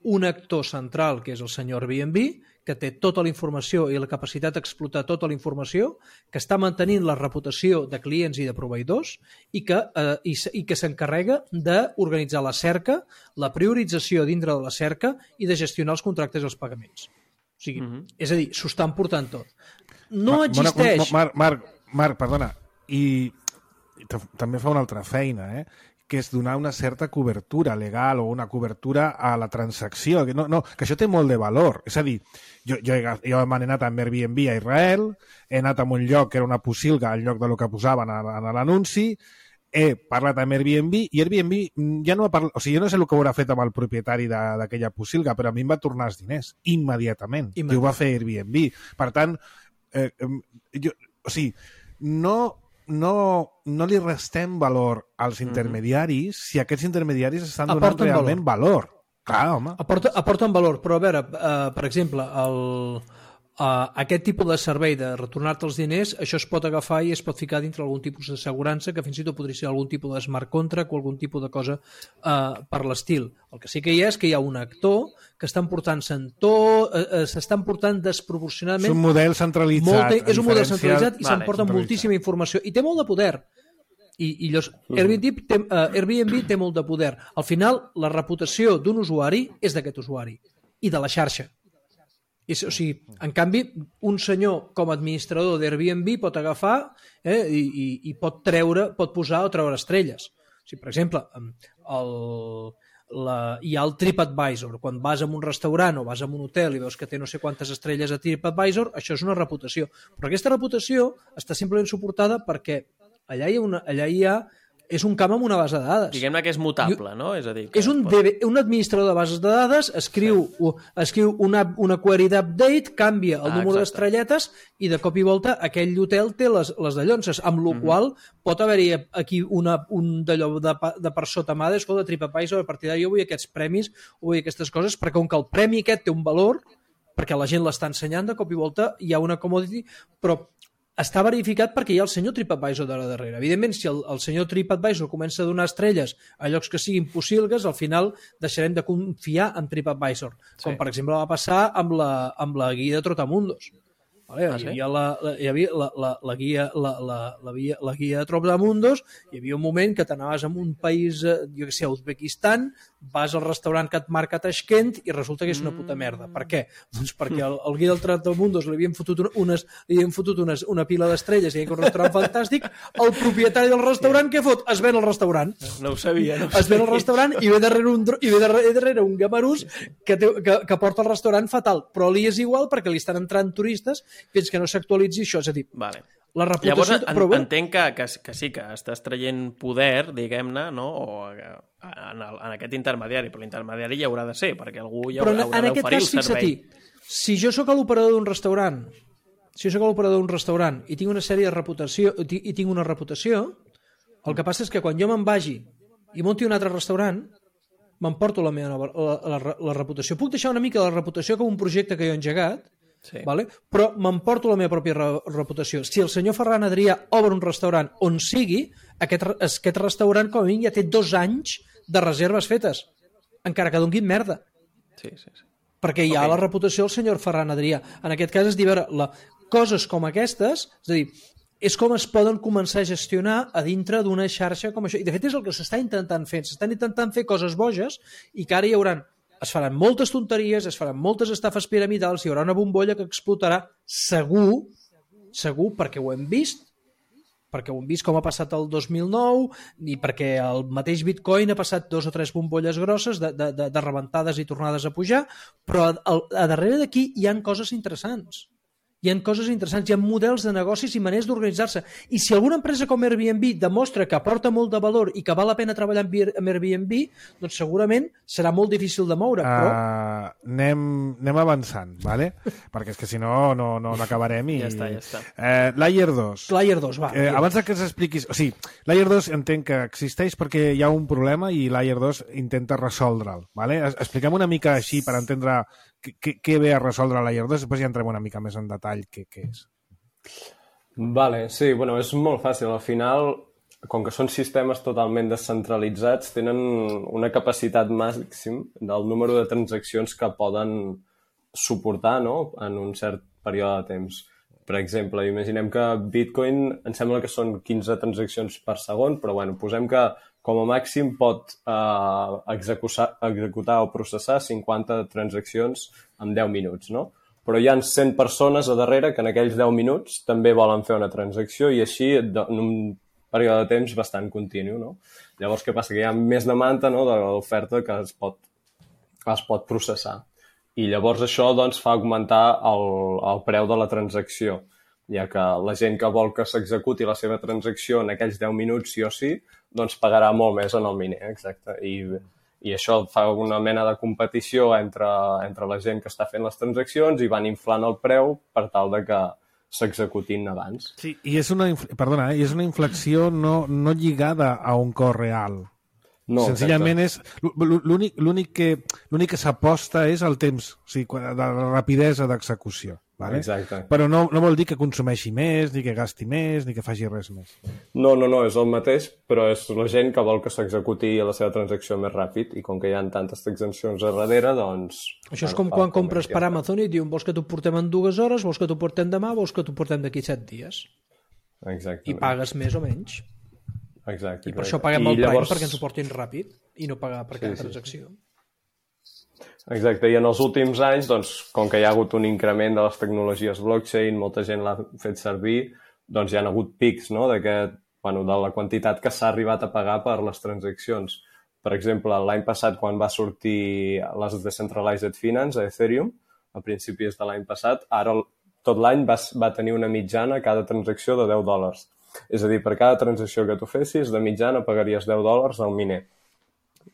un actor central, que és el senyor Airbnb, que té tota la informació i la capacitat d'explotar tota la informació, que està mantenint la reputació de clients i de proveïdors i que s'encarrega d'organitzar la cerca, la priorització dintre de la cerca i de gestionar els contractes i els pagaments. O sigui, és a dir, s'ho està emportant tot. No existeix... Marc, perdona, i també fa una altra feina, que és donar una certa cobertura legal o una cobertura a la transacció. Que això té molt de valor. És a dir, jo m'he anat amb Airbnb a Israel, he anat a un lloc que era una posilga al lloc del que posaven a l'anunci, he parlat amb Airbnb i Airbnb ja no ha parlat... O sigui, jo no sé el que haurà fet amb el propietari d'aquella posilga, però a mi em va tornar els diners immediatament. I ho va fer Airbnb. Per tant, no li restem valor als intermediaris si aquests intermediaris estan donant realment valor. Clar, home. Aporten valor, però a veure, per exemple, aquest tipus de servei de retornar-te els diners, això es pot agafar i es pot ficar dintre algun tipus d'assegurança que fins i tot podria ser algun tipus de smart contract o algun tipus de cosa per l'estil. El que sí que hi ha és que hi ha un actor que està emportant-se en s'estan portant desproporcionadament... És un model centralitzat. És un model centralitzat i s'emporta moltíssima informació. I té molt de poder. I Airbnb té molt de poder. Al final, la reputació d'un usuari és d'aquest usuari i de la xarxa. O sigui, en canvi, un senyor com a administrador d'Airbnb pot agafar i pot posar o treure estrelles. O sigui, per exemple, hi ha el TripAdvisor. Quan vas a un restaurant o vas a un hotel i veus que té no sé quantes estrelles a TripAdvisor, això és una reputació. Però aquesta reputació està simplement suportada perquè allà hi ha és un camp amb una base de dades. Diguem-ne que és mutable, no? És a dir, és un administrador de bases de dades, escriu una query d'update, canvia el número d'estrelletes i de cop i volta aquell hotel té les dallonses, amb la qual pot haver-hi aquí un d'allò de per sota mà, escolta, TripAdvisor, a partir d'ara jo vull aquests premis o vull aquestes coses, perquè com que el premi aquest té un valor, perquè la gent l'està ensenyant, de cop i volta hi ha una commodity, però està verificat perquè hi ha el senyor TripAdvisor de la darrere. Evidentment, si el senyor TripAdvisor comença a donar estrelles a llocs que siguin possibles, al final deixarem de confiar en TripAdvisor. Com, per exemple, va passar amb la guia de Trotamundos. Hi havia la guia de Trotamundos, hi havia un moment que t'anaves a un país, jo què sé, Uzbekistan, vas al restaurant que et marca Tashkent i resulta que és una puta merda. Per què? Doncs perquè el guia del Trotamundos li havien fotut una pila d'estrelles i hi havia un restaurant fantàstic, el propietari del restaurant què fot? Es ven el restaurant. No ho sabia. Es ven el restaurant i ve darrere un gamarús que porta el restaurant fatal, però li és igual perquè li estan entrant turistes fins que no s'actualitzi això, és a dir, la reputació... Llavors, entenc que sí, que estàs traient poder, diguem-ne, no? En aquest intermediari, però l'intermediari hi haurà de ser, perquè algú hi haurà d'oferir el servei. Si jo sóc l'operador d'un restaurant, i tinc una sèrie de reputació, i tinc una reputació, el que passa és que quan jo me'n vagi i munti un altre restaurant, m'emporto la reputació. Puc deixar una mica la reputació com un projecte que jo he engegat, vale? Però m'emporto la meva pròpia reputació. Si el senyor Ferran Adrià obre un restaurant on sigui, aquest restaurant com a mínim ja té 2 anys de reserves fetes, encara que donguin merda. Sí. Perquè hi ha la reputació del senyor Ferran Adrià. En aquest cas és dir, coses com aquestes, és a dir, és com es poden començar a gestionar a dintre d'una xarxa com això. I de fet és el que s'està intentant fer. S'estan intentant fer coses boges i que ara es faran moltes tonteries, es faran moltes estafes piramidals, hi haurà una bombolla que explotarà segur, perquè ho hem vist com ha passat el 2009 i perquè el mateix Bitcoin ha passat 2 o 3 bombolles grosses de rebentades i tornades a pujar, però a darrere d'aquí hi han coses interessants. Hi ha models de negocis i maneres d'organitzar-se. I si alguna empresa com Airbnb demostra que aporta molt de valor i que val la pena treballar amb Airbnb, doncs segurament serà molt difícil de moure. Però... Anem avançant, ¿vale? Perquè és que si no acabarem i... Ja està. Layer 2. Layer 2, va. Abans que s'expliquis... O sigui, Layer 2 entenc que existeix perquè hi ha un problema i Layer 2 intenta resoldre'l, ¿vale? Expliquem una mica així per entendre què ve a resoldre Layer 2, després ja entrem una mica més en detall què és. Vale, sí, bueno, és molt fàcil. Al final, com que són sistemes totalment descentralitzats, tenen una capacitat màxim del número de transaccions que poden suportar, no?, en un cert període de temps. Per exemple, imaginem que Bitcoin em sembla que són 15 transaccions per segon, però bueno, posem que com a màxim pot executar o processar 50 transaccions en 10 minuts, no? Però hi ha 100 persones a darrere que en aquells 10 minuts també volen fer una transacció i així en un període de temps bastant continu, no? Llavors, què passa? Que hi ha més demanda, no?, de l'oferta que es pot processar. I llavors això doncs, fa augmentar el preu de la transacció, ja que la gent que vol que s'executi la seva transacció en aquells 10 minuts sí o sí, doncs pagarà molt més en el miner, exacte. I això fa una mena de competició entre la gent que està fent les transaccions i van inflant el preu per tal de que s'executin abans. Sí, i és una inflexió no lligada a un cost real. No, senzillament és... L'únic que s'aposta és el temps, o sigui, de la rapidesa d'execució. Vale? Exacte. Però no vol dir que consumeixi més, ni que gasti més, ni que faci res més. No, és el mateix, però és la gent que vol que s'executi la seva transacció més ràpid, i com que hi ha tantes transaccions a darrere, doncs... Això és com quan compres per Amazon i diuen vols que t'ho portem en 2 hores, vols que t'ho portem demà, vols que t'ho portem d'aquí 7 dies. Exactament. I pagues més o menys. Exacte. I per això paguem el Prime, perquè ens ho portin ràpid i no pagar per cada transacció. Exacte, i en els últims anys, doncs, com que hi ha hagut un increment de les tecnologies blockchain, molta gent l'ha fet servir, doncs hi ha hagut pics, no?, de la quantitat que s'ha arribat a pagar per les transaccions. Per exemple, l'any passat, quan va sortir les Decentralized Finance a Ethereum, a principis de l'any passat, ara tot l'any va tenir una mitjana cada transacció de $10. És a dir, per cada transacció que tu fessis, de mitjana pagaries $10 al miner.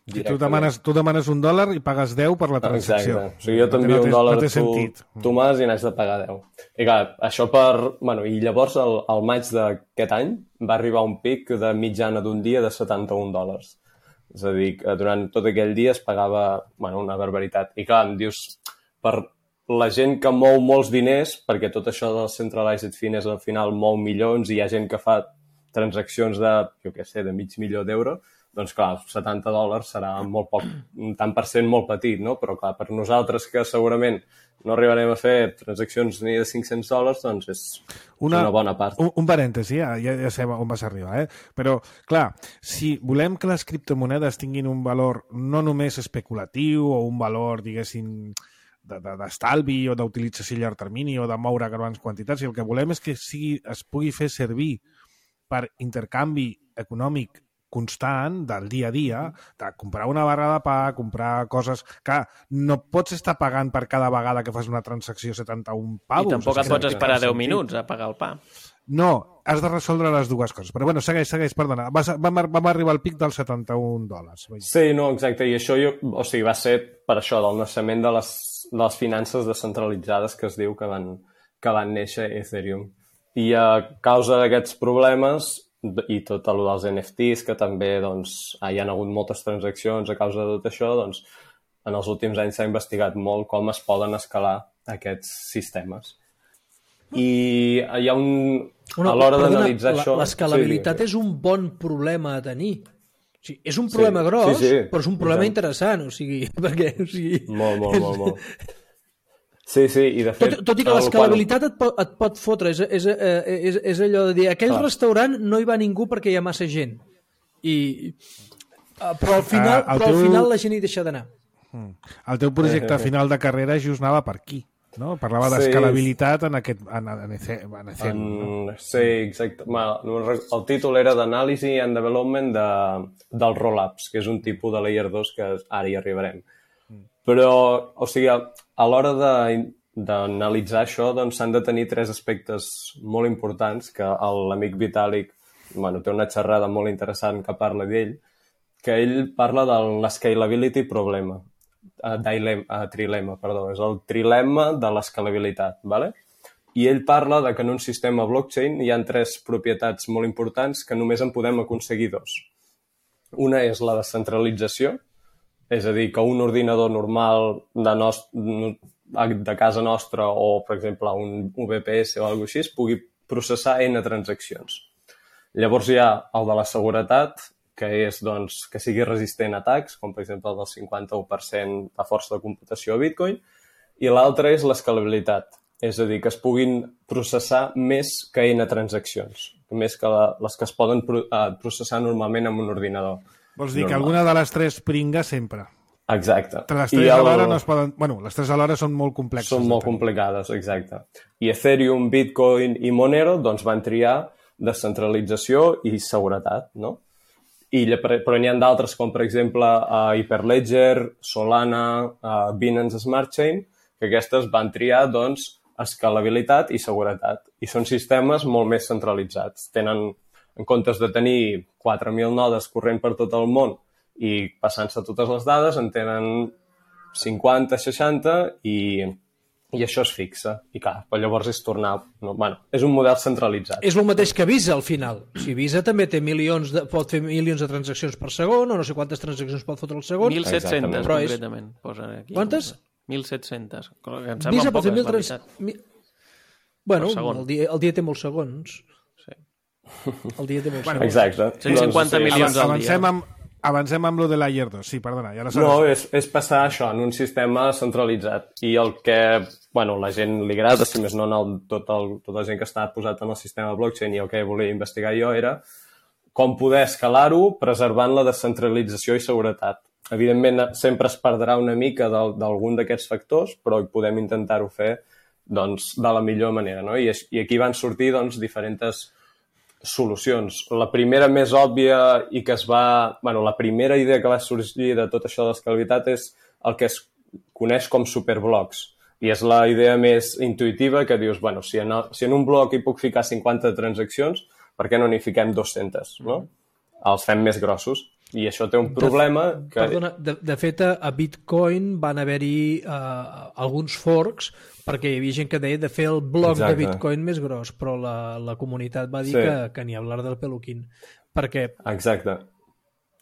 Si tu demanes $1 i pagues 10 per la transacció. Exacte. O sigui, jo t'envio $1 a tu m'has i n'has de pagar 10. I clar, això I llavors, al maig d'aquest any, va arribar un pic de mitjana d'un dia de $71. És a dir, que durant tot aquell dia es pagava una barbaritat. I clar, em dius, per la gent que mou molts diners, perquè tot això del Centralized Finance al final mou milions i hi ha gent que fa transaccions de, de $500,000, doncs clar, $70 serà molt poc, un tant per cent molt petit, no? Però clar, per nosaltres que segurament no arribarem a fer transaccions ni de $500, doncs és una bona part. Un parèntesi, ja sé on vas arribar, però clar, si volem que les criptomonedes tinguin un valor no només especulatiu o un valor, diguéssim, d'estalvi o d'utilització a llarg termini o de moure grans quantitats, i el que volem és que es pugui fer servir per intercanvi econòmic constant del dia a dia, de comprar una barra de pa, comprar coses que no pots estar pagant per cada vegada que fas una transacció 71 pavos. I tampoc et pots esperar 10 minuts a pagar el pa. No, has de resoldre les dues coses. Però bueno, segueix, perdona. Vam arribar al pic dels $71. Sí, no, exacte. I això va ser per això, del naixement de les finances descentralitzades que es diu que van néixer a Ethereum. I a causa d'aquests problemes i tot el dels NFTs, que també hi ha hagut moltes transaccions a causa de tot això, doncs en els últims anys s'ha investigat molt com es poden escalar aquests sistemes. I hi ha a l'hora d'analitzar això... L'escalabilitat és un bon problema a tenir. O sigui, és un problema gros, però és un problema interessant, perquè... Molt. Sí, i de fet... Tot i que l'escalabilitat et pot fotre, és allò de dir, aquell restaurant no hi va ningú perquè hi ha massa gent. Però al final la gent hi deixa d'anar. El teu projecte final de carrera just anava per aquí, no? Parlava d'escalabilitat en Ethereum. Sí, exacte. El títol era d'Anàlisi and Development del Rollups, que és un tipus de Layer 2 que ara hi arribarem. Però, a l'hora d'analitzar això, doncs s'han de tenir 3 aspectes molt importants que l'amic Vitalik té una xerrada molt interessant que parla d'ell, que ell parla de l'escalability problema, trilema, és el trilema de l'escalabilitat, ¿vale? I ell parla que en un sistema blockchain hi ha 3 propietats molt importants que només en podem aconseguir 2. Una és la descentralització, és a dir, que un ordinador normal de casa nostra o, per exemple, un VPS o alguna cosa així pugui processar N transaccions. Llavors hi ha el de la seguretat, que és que sigui resistent a atacs, com per exemple el del 51% de força de computació a Bitcoin, i l'altre és l'escalabilitat, és a dir, que es puguin processar més que N transaccions, més que les que es poden processar normalment amb un ordinador. Vols dir que alguna de les 3 pringa sempre. Exacte. Les 3 alhora no es poden... Bueno, les 3 alhora són molt complexes. Són molt complicades, exacte. I Ethereum, Bitcoin i Monero van triar descentralització i seguretat, no? Però n'hi ha d'altres, com per exemple Hyperledger, Solana, Binance Smart Chain, que aquestes van triar, escalabilitat i seguretat. I són sistemes molt més centralitzats. Tenen, en comptes de tenir 4.000 nodes corrent per tot el món i passant-se totes les dades, en tenen 50, 60 i i això es fixa. I clar, però llavors és tornar... No, bueno, és un model centralitzat. És el mateix que Visa, al final. Si Visa també té pot fer milions de transaccions per segon, o no sé quantes transaccions pot fotre al segon. 1.700, concretament. Posa aquí. Quantes? 1.700. Em sembla poques, la veritat. Bueno, el dia té molts segons. Sí. El dia té molts segons. Exacte. 150 milions al dia. Avancem amb lo de Layer 2. Sí, perdona. Ja no, és passar això en un sistema centralitzat. I el que la gent li agrada, si més no tota la gent que està posat en el sistema blockchain, i el que volia investigar jo era com poder escalar-ho preservant la descentralització i seguretat. Evidentment, sempre es perdrà una mica d'algun d'aquests factors, però podem intentar-ho fer de la millor manera. No? I aquí van sortir diferents solucions. La primera més òbvia i que la primera idea que va sorgir de tot això de l'escalabilitat és el que es coneix com superblocs. I és la idea més intuïtiva que dius, si en un bloc hi puc ficar 50 transaccions, per què no n'hi fiquem 200? No? Els fem més grossos. I això té un problema que... Perdona, de fet, a Bitcoin van haver-hi alguns forks perquè hi havia gent que deia de fer el bloc de Bitcoin més gros, però la comunitat va dir que ni hablar del peluquín. Perquè... Exacte.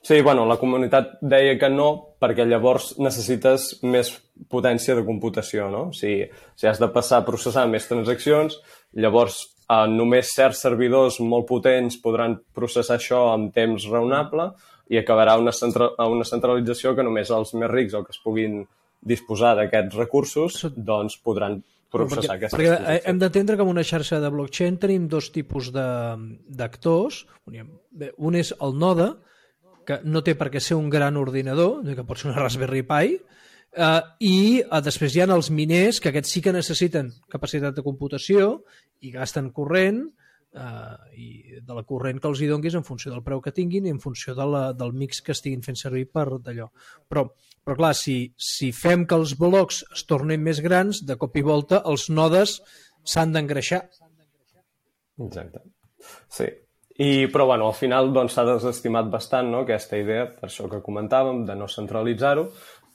Sí, la comunitat deia que no, perquè llavors necessites més potència de computació, no? Si has de passar a processar més transaccions, llavors només certs servidors molt potents podran processar això en temps raonable i acabarà una centralització que només els més rics o que es puguin disposar d'aquests recursos podran processar aquestes transaccions. Perquè hem d'entendre que en una xarxa de blockchain tenim dos tipus d'actors. Un és el node, que no té per què ser un gran ordinador, que pot ser una Raspberry Pi, i després hi ha els miners, que aquests sí que necessiten capacitat de computació i gasten corrent, i de la corrent que els hi donguis en funció del preu que tinguin i en funció del mix que estiguin fent servir per d'allò. Però clar, si fem que els blocs es tornin més grans, de cop i volta els nodes s'han d'engreixar. Exacte. Sí. Però al final s'ha desestimat bastant, no, aquesta idea, per això que comentàvem, de no centralitzar-ho,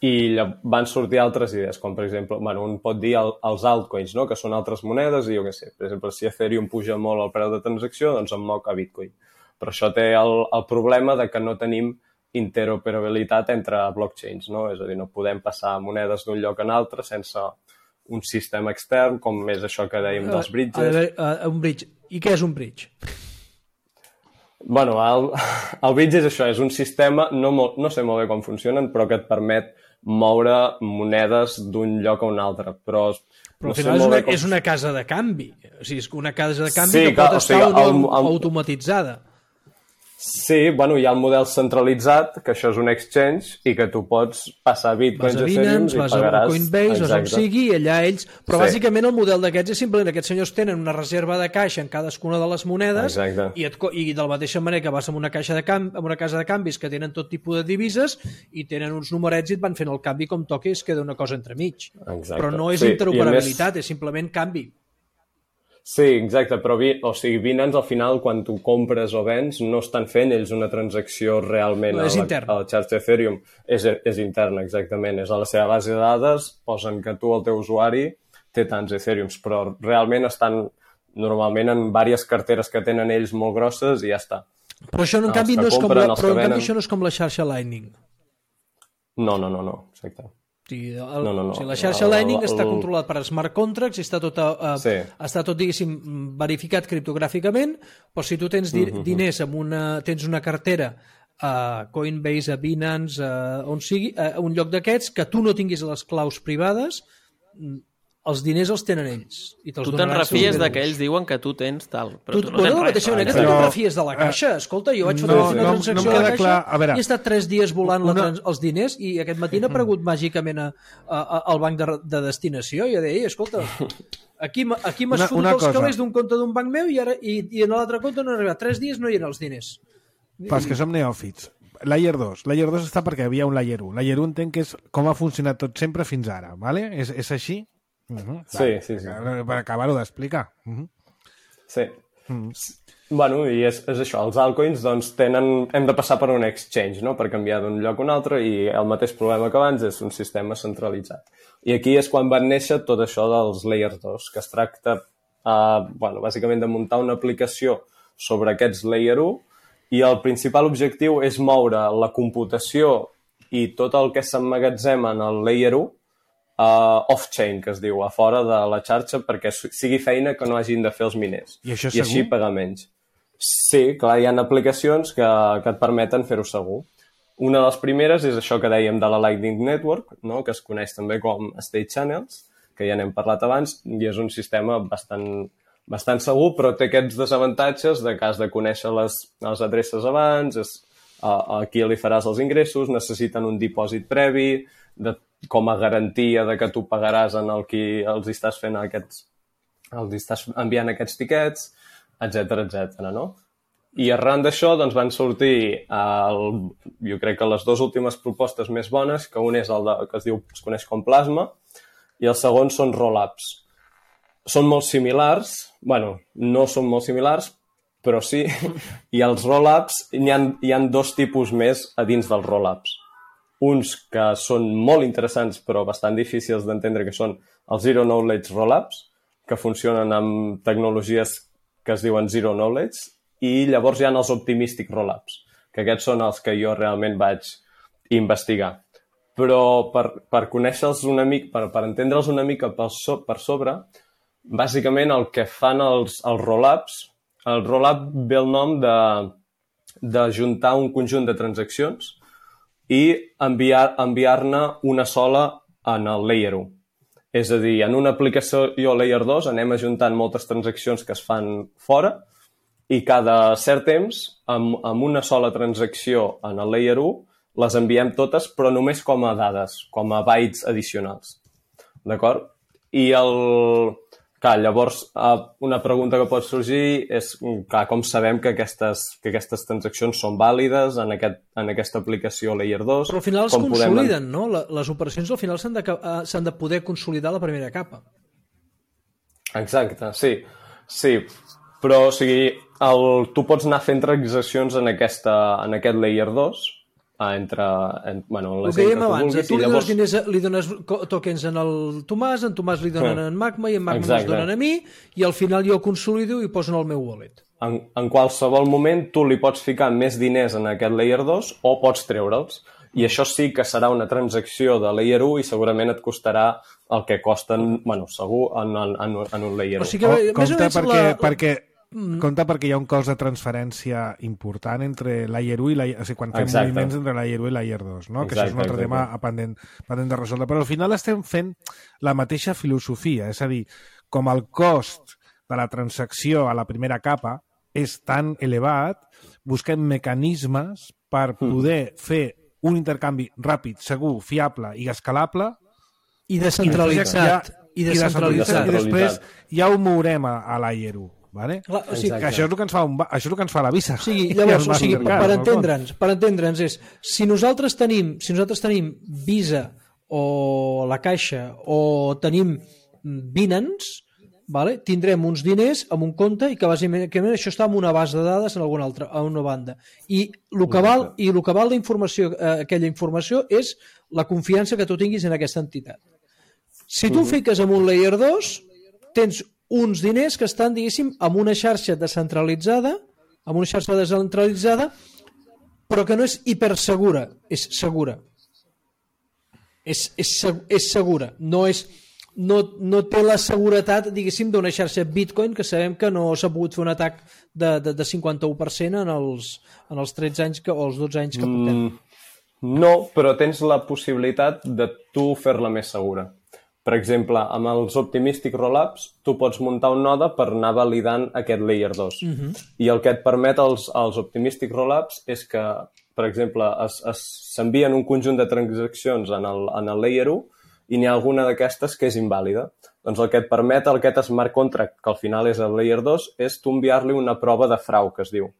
i van sortir altres idees, com per exemple, un pot dir els altcoins, no? Que són altres monedes, i jo què sé, per exemple, si Ethereum puja molt el preu de transacció, doncs em moc a Bitcoin. Però això té el problema de que no tenim interoperabilitat entre blockchains, no? És a dir, no podem passar monedes d'un lloc a un altre sense un sistema extern, com és això que dèiem dels bridges. Un bridge. I què és un bridge? El bridge és això, és un sistema, no sé molt bé com funcionen, però que et permet moure monedes d'un lloc a un altre. Però al final és una casa de canvi. O sigui, és una casa de canvi que pot estar automatitzada. Sí, hi ha el model centralitzat, que això és un exchange, i que tu pots passar bitcoins a Ethereum i pagaràs... Vas a Coinbase, o on sigui, i allà ells... Però bàsicament el model d'aquests és simplement aquests senyors tenen una reserva de caixa en cadascuna de les monedes i de la mateixa manera que vas amb una casa de canvis que tenen tot tipus de divises i tenen uns numerets i et van fent el canvi com toqui i es queda una cosa entremig. Però no és interoperabilitat, és simplement canvi. Sí, exacte, però Binance al final quan tu compres o vens no estan fent ells una transacció realment a la xarxa Ethereum, és interna, exactament, és a la seva base de dades, posen que tu, el teu usuari, té tants Ethereums, però realment estan normalment en diverses carteres que tenen ells molt grosses i ja està. Però això en canvi no és com la xarxa Lightning. No, exacte. La xarxa Lightning està controlat per smart contracts i està tot, diguéssim, verificat criptogràficament, però si tu tens diners tens una cartera a Coinbase, a Binance, on sigui, a un lloc d'aquests, que tu no tinguis les claus privades, els diners els tenen ells. Tu te'n refies que ells diuen que tu tens tal, però tu no tens res. Tu te'n refies de la caixa. Escolta, jo vaig fer una transacció a la caixa i he estat 3 dies volant els diners i aquest matí n'ha aparegut màgicament al banc de destinació i jo deia, escolta, aquí m'has fotut els calés d'un compte d'un banc meu i en l'altre compte no he arribat. 3 dies no hi eren els diners. Pas que som neòfits. Layer 2 està perquè hi havia un Layer 1. Layer 1 entenc que és com ha funcionat tot sempre fins ara, ¿vale? És així? Sí. Per acabar-ho d'explicar. Sí. Bueno, i és això, els altcoins doncs hem de passar per un exchange, no?, per canviar d'un lloc a un altre, i el mateix problema que abans és un sistema centralitzat. I aquí és quan van néixer tot això dels Layer 2, que es tracta, bàsicament, de muntar una aplicació sobre aquests Layer 1, i el principal objectiu és moure la computació i tot el que s'emmagatzema en el Layer 1 off-chain, que es diu, a fora de la xarxa, perquè sigui feina que no hagin de fer els miners. I això és segur? Així pagar menys. Sí, clar, hi ha aplicacions que et permeten fer-ho segur. Una de les primeres és això que dèiem de la Lightning Network, no?, que es coneix també com State Channels, que ja n'hem parlat abans, i és un sistema bastant segur, però té aquests desavantatges de que has de conèixer les adreces abans, a qui li faràs els ingressos, necessiten un dipòsit previ, com a garantia de que tu pagaràs en el qui els estàs fent els estàs enviant aquests tiquets, etc., no? I arran d'això doncs, van sortir, jo crec que les dues últimes propostes més bones, que un és el que es coneix com Plasma, i el segon són Rollups. Són molt similars, no són molt similars, però sí, i els Rollups, hi ha dos tipus més a dins dels Rollups. Uns que són molt interessants però bastant difícils d'entendre, que són els Zero Knowledge Rollups, que funcionen amb tecnologies que es diuen Zero Knowledge, i llavors hi ha els Optimistic Rollups, que aquests són els que jo realment vaig investigar. Però per conèixer-los una mica, per entendre'ls una mica per sobre, bàsicament el que fan els Rollups, el Rollup ve el nom de juntar un conjunt de transaccions i enviar-ne una sola en el Layer 1. És a dir, en una aplicació Layer 2 anem ajuntant moltes transaccions que es fan fora i cada cert temps, amb una sola transacció en el Layer 1, les enviem totes, però només com a dades, com a bytes addicionals. D'acord? I clar, llavors, una pregunta que pot sorgir és com sabem que aquestes transaccions són vàlides en aquesta aplicació Layer 2. Però al final es consoliden, no? Les operacions al final s'han de poder consolidar a la primera capa. Exacte, sí. Però, o sigui, tu pots anar fent transaccions en aquest Layer 2, el que dèiem abans, tu li dones tokens en el Tomàs, en Tomàs li donen en Magma i en Magma els donen a mi, i al final jo consolido i poso en el meu wallet. En qualsevol moment tu li pots ficar més diners en aquest Layer 2 o pots treure'ls. I això sí que serà una transacció de Layer 1 i segurament et costarà el que costen, segur, en un Layer 1. O sigui que compte perquè hi ha un cost de transferència important entre Layer 1 i Layer 2, o sigui, quan fem moviments entre Layer 1 i Layer 2, no? Que això és un altre tema pendent de resoldre. Però al final estem fent la mateixa filosofia, és a dir, com el cost de la transacció a la primera capa és tan elevat, busquem mecanismes per poder fer un intercanvi ràpid, segur, fiable i escalable i descentralitzat. I després ja ho mourem a Layer 1. Vale? Clar, o sigui, que això és el que ens fa la Visa. O sigui, llavors, per entendre'ns és, si nosaltres tenim Visa o la Caixa o tenim Binance, vale? Tindrem uns diners en un compte i que bàsicament això està en una base de dades en alguna altra, a una banda. I el que val la informació, aquella informació és la confiança que tu tinguis en aquesta entitat. Si tu fiques en un Layer 2, tens uns diners que estan, diguéssim, en una xarxa descentralitzada, però que no és hipersegura, és segura. És segura. No té la seguretat, diguéssim, d'una xarxa Bitcoin, que sabem que no s'ha pogut fer un atac de 51% en els 13 anys o els 12 anys que portem. No, però tens la possibilitat de tu fer-la més segura. Per exemple, amb els Optimistic Rollups, tu pots muntar un node per anar validant aquest Layer 2. I el que et permet els Optimistic Rollups és que, per exemple, s'envien un conjunt de transaccions en el Layer 1 i n'hi ha alguna d'aquestes que és invàlida. Doncs el que et permet aquest smart contract, que al final és el Layer 2, és tu enviar-li una prova de frau, que es diu.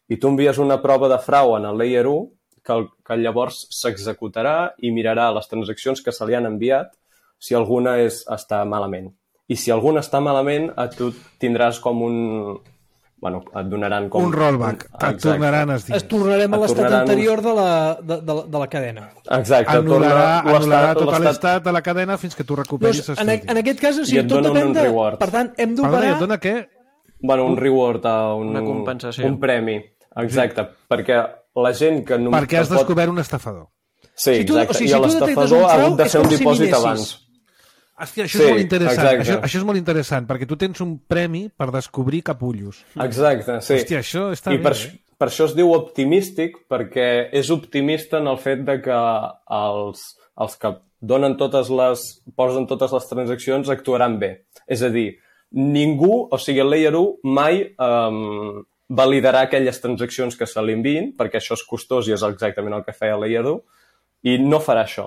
I tu envies una prova de frau en el Layer 1 que llavors s'executarà i mirarà les transaccions que se li han enviat si alguna està malament. I si alguna està malament, tu tindràs com bueno, et donaran com... Un rollback. Et tornaran els diners. Es tornarem a l'estat anterior de la cadena. Exacte. Anul·larà tot l'estat de la cadena fins que tu recuperis els diners. En aquest cas, o sigui, tot depèn de... Per tant, hem d'operar... Perdona, et dona què? Bueno, un reward, una compensació. Un premi. Exacte, perquè la gent que... Perquè has descobert un estafador. Sí, exacte. I l'estafador ha hagut de fer un dipòsit abans. Hòstia, això és molt interessant. Això és molt interessant, perquè tu tens un premi per descobrir capullos. Exacte, sí. Hòstia, això està bé. Per això es diu optimístic, perquè és optimista en el fet de que els que posen totes les transaccions actuaran bé. És a dir, ningú, o sigui, el Layer 1 mai validarà aquelles transaccions que se li enviïn, perquè això és costós i és exactament el que feia el Layer 1, i no farà això.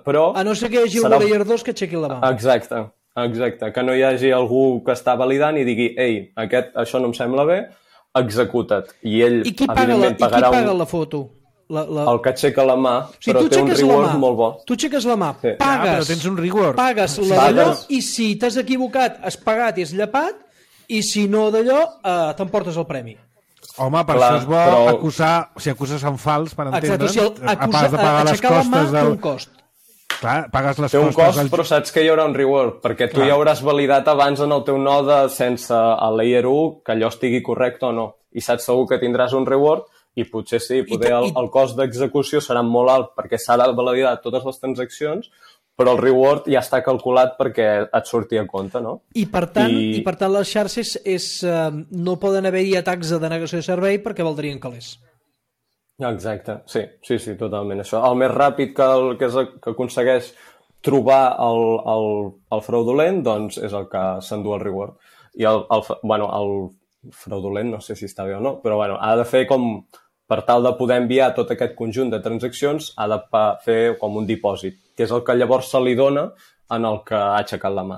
Però a no ser que hi hagi algú Layer 2 que aixequi la mà. Exacte. Que no hi hagi algú que està validant i digui això no em sembla bé, executa't. I ell, evidentment, pagarà la foto? El que aixeca la mà, però té un reward molt bo. Tu aixeques la mà, pagues, però tens un reward. Pagues d'allò, i si t'has equivocat, has pagat i has llepat, i si no d'allò, t'emportes el premi. Home, per això és bo si acuses en fals, per entendre'ns, has de pagar les costes del... Un cost. Clar, pagues les costes... Té un cost, però saps que hi haurà un reward, perquè tu ja hauràs validat abans en el teu node sense el Layer 1 que allò estigui correcte o no. I saps segur que tindràs un reward i potser sí, el cost d'execució serà molt alt perquè s'ha de validar totes les transaccions, però el reward ja està calculat perquè et surti a compte, no? I per tant les xarxes no poden haver-hi atacs de denegació de servei perquè valdrien calés. Exacte, sí, totalment. Això, el més ràpid que aconsegueix trobar el fraudulent, doncs és el que s'endú el reward. I el fraudulent, no sé si està bé o no, però ha de fer com... Per tal de poder enviar tot aquest conjunt de transaccions, ha de fer com un dipòsit, que és el que llavors se li dona en el que ha aixecat la mà.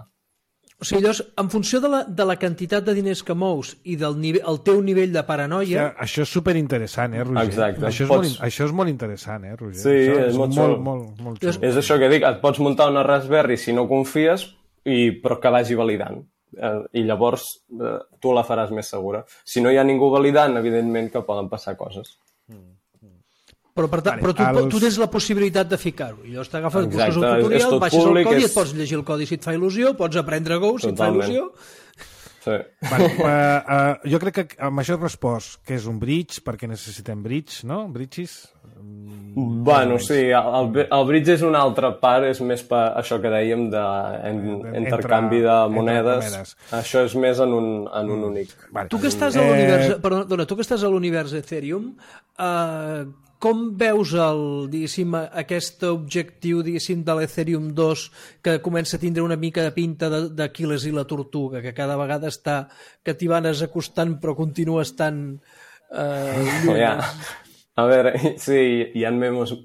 O sigui, llavors, en funció de la quantitat de diners que mous i del teu nivell de paranoia... Això és superinteressant, Roger? Exacte. Això és molt interessant, Roger? Sí, és molt xulo. És això que dic, et pots muntar una Raspberry si no confies, però que vagi validant. I llavors tu la faràs més segura. Si no hi ha ningú validant, evidentment que poden passar coses. Però tu tens la possibilitat de ficar-ho. I llavors t'agafes, busques un tutorial, baixes el codi, et pots llegir el codi si et fa il·lusió, pots aprendre Go si et fa il·lusió. Sí. Jo crec que amb això he respost que és un bridge, perquè necessitem bridge, no? Bridges? Sí, el bridge és una altra part, és més per això que dèiem d'intercanvi de monedes. Això és més en un únic. Tu que estàs a l'univers, perdona, tu que estàs a l'univers Ethereum, com veus aquest objectiu de l'Ethereum 2 que comença a tindre una mica de pinta d'Aquiles i la tortuga, que cada vegada està que t'hi van acostant però continua estant lluny? A veure, sí, hi ha memes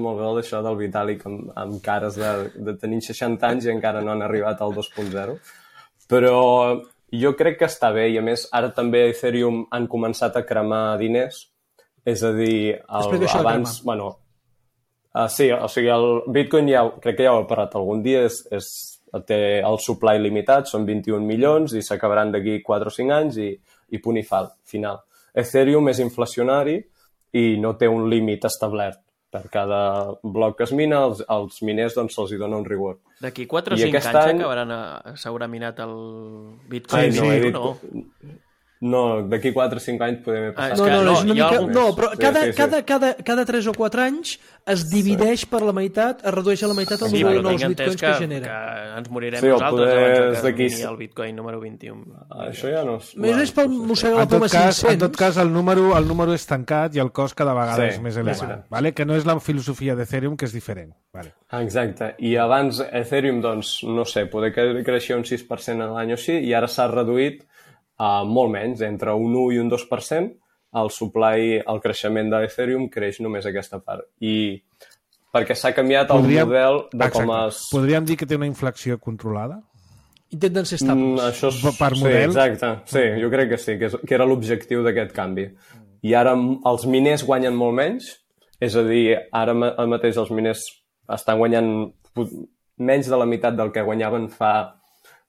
molt bé d'això del Vitalik amb cares de tenir 60 anys i encara no han arribat al 2.0, però jo crec que està bé i a més ara també a Ethereum han començat a cremar diners, és a dir, abans, sí, o sigui, el Bitcoin crec que ja ho he parlat algun dia, té el supply limitat, són 21 milions i s'acabaran d'aquí 4 o 5 anys i punt i final. Ethereum és inflacionari i no té un límit establert. Per cada bloc que es mina, els miners se'ls dona un reward. D'aquí 4 o 5 anys s'haurà minat el Bitcoin? No, d'aquí 4 o 5 anys podem passar. No, però cada 3 o 4 anys es divideix per la meitat, es redueix a la meitat el número de nous bitcoins que genera. Que ens morirem nosaltres abans que mini el bitcoin número 21. Això ja no... Més és pel mossegar la poma 500. En tot cas, el número és tancat i el cost cada vegada és més elevat. Que no és la filosofia d'Ethereum, que és diferent. Exacte. I abans Ethereum, no sé, poder creixia un 6% l'any o així, i ara s'ha reduït molt menys, entre un 1 i un 2%, el creixement d'Ethereum creix només aquesta part. I perquè s'ha canviat el model de com es... Podríem dir que té una inflació controlada? Intenten ser estables. Per model? Sí, exacte. Sí, jo crec que sí, que era l'objectiu d'aquest canvi. I ara els miners guanyen molt menys, és a dir, ara mateix els miners estan guanyant menys de la meitat del que guanyaven fa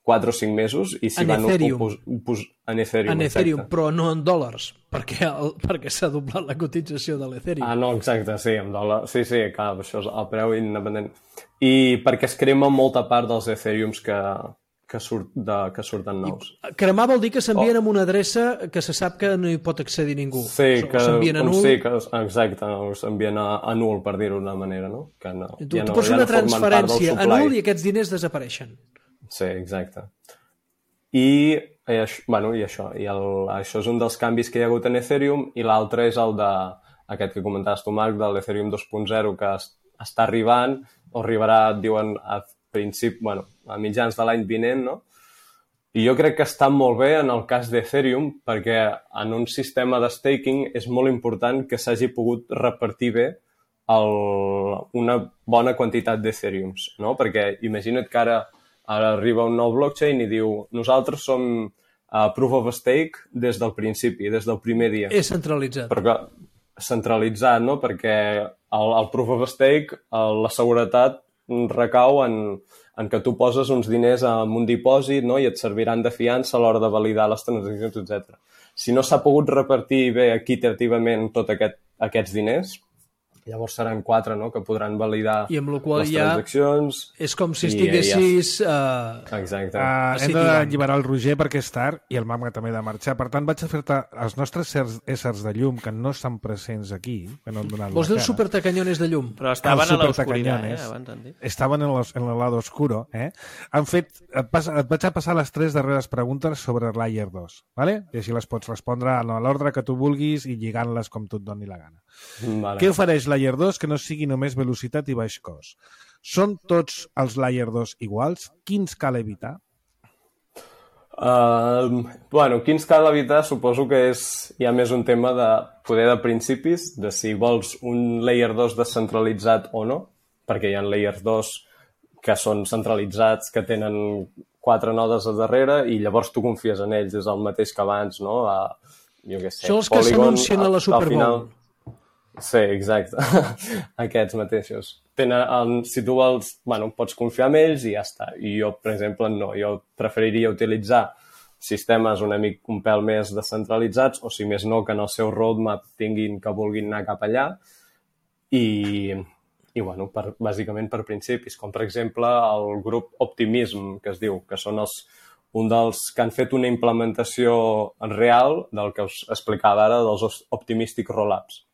4 o 5 mesos i s'hi van en Ethereum, però no en dòlars, perquè s'ha doblat la cotització de l'Ethereum. No, exacte, sí, en dòlars. Sí, clar, això és el preu independent. I perquè es crema molta part dels Ethereums que surten nous. Cremar vol dir que s'envien amb una adreça que se sap que no hi pot accedir ningú. Sí, s'envien a nul. Sí, exacte, s'envien a nul, per dir-ho d'una manera, no? Que no, tu pots fer una transferència a nul i aquests diners desapareixen. Sí, exacte. I això és un dels canvis que hi ha hagut en Ethereum, i l'altre és el aquest que comentaves tu, Marc, de l'Ethereum 2.0, que està arribant, o arribarà, diuen, a mitjans de l'any vinent, no? I jo crec que està molt bé en el cas d'Ethereum, perquè en un sistema de staking és molt important que s'hagi pogut repartir bé una bona quantitat d'Ethereums, no? Perquè imagina't que ara arriba un nou blockchain i diu nosaltres som proof of stake des del principi, des del primer dia. És centralitzat. Centralitzat, no? Perquè el proof of stake, la seguretat recau en que tu poses uns diners en un dipòsit, no? I et serviran de fiança a l'hora de validar les transaccions, etc. Si no s'ha pogut repartir bé equitativament tots aquests diners, llavors seran 4, no?, que podran validar les transaccions. És com si estiguessis... Exacte. Hem d'alliberar el Roger perquè és tard i el Mama també ha de marxar. Per tant, vaig a fer-te els nostres éssers de llum, que no estan presents aquí, que no han donat Vols dir els supertacanyones de llum? Però estaven a l'oscuritat, abans han dit. Estaven en el lado oscuro, Han fet... Et vaig a passar les 3 darreres preguntes sobre Layer 2, ¿vale? I així les pots respondre en l'ordre que tu vulguis i lligant-les com tu et doni la gana. Vale. Què ofereix Layer 2 que no sigui només velocitat i baix cost? Són tots els Layer 2 iguals? Quins cal evitar? Quins cal evitar suposo que hi ha més un tema de poder de principis, de si vols un Layer 2 descentralitzat o no, perquè hi ha Layers 2 que són centralitzats, que tenen 4 nodes a darrere i llavors tu confies en ells, és el mateix que abans, no? Jo què sé, són els que s'anuncien a la Super Bowl. Sí, exacte. Aquests mateixos. Si tu vols, pots confiar en ells i ja està. I jo, per exemple, no. Jo preferiria utilitzar sistemes un pèl més descentralitzats, o si més no, que en el seu roadmap que vulguin anar cap allà. I bàsicament per principis, com per exemple el grup Optimism, que es diu, que són un dels que han fet una implementació real del que us explicava ara, dels Optimistic Rollups.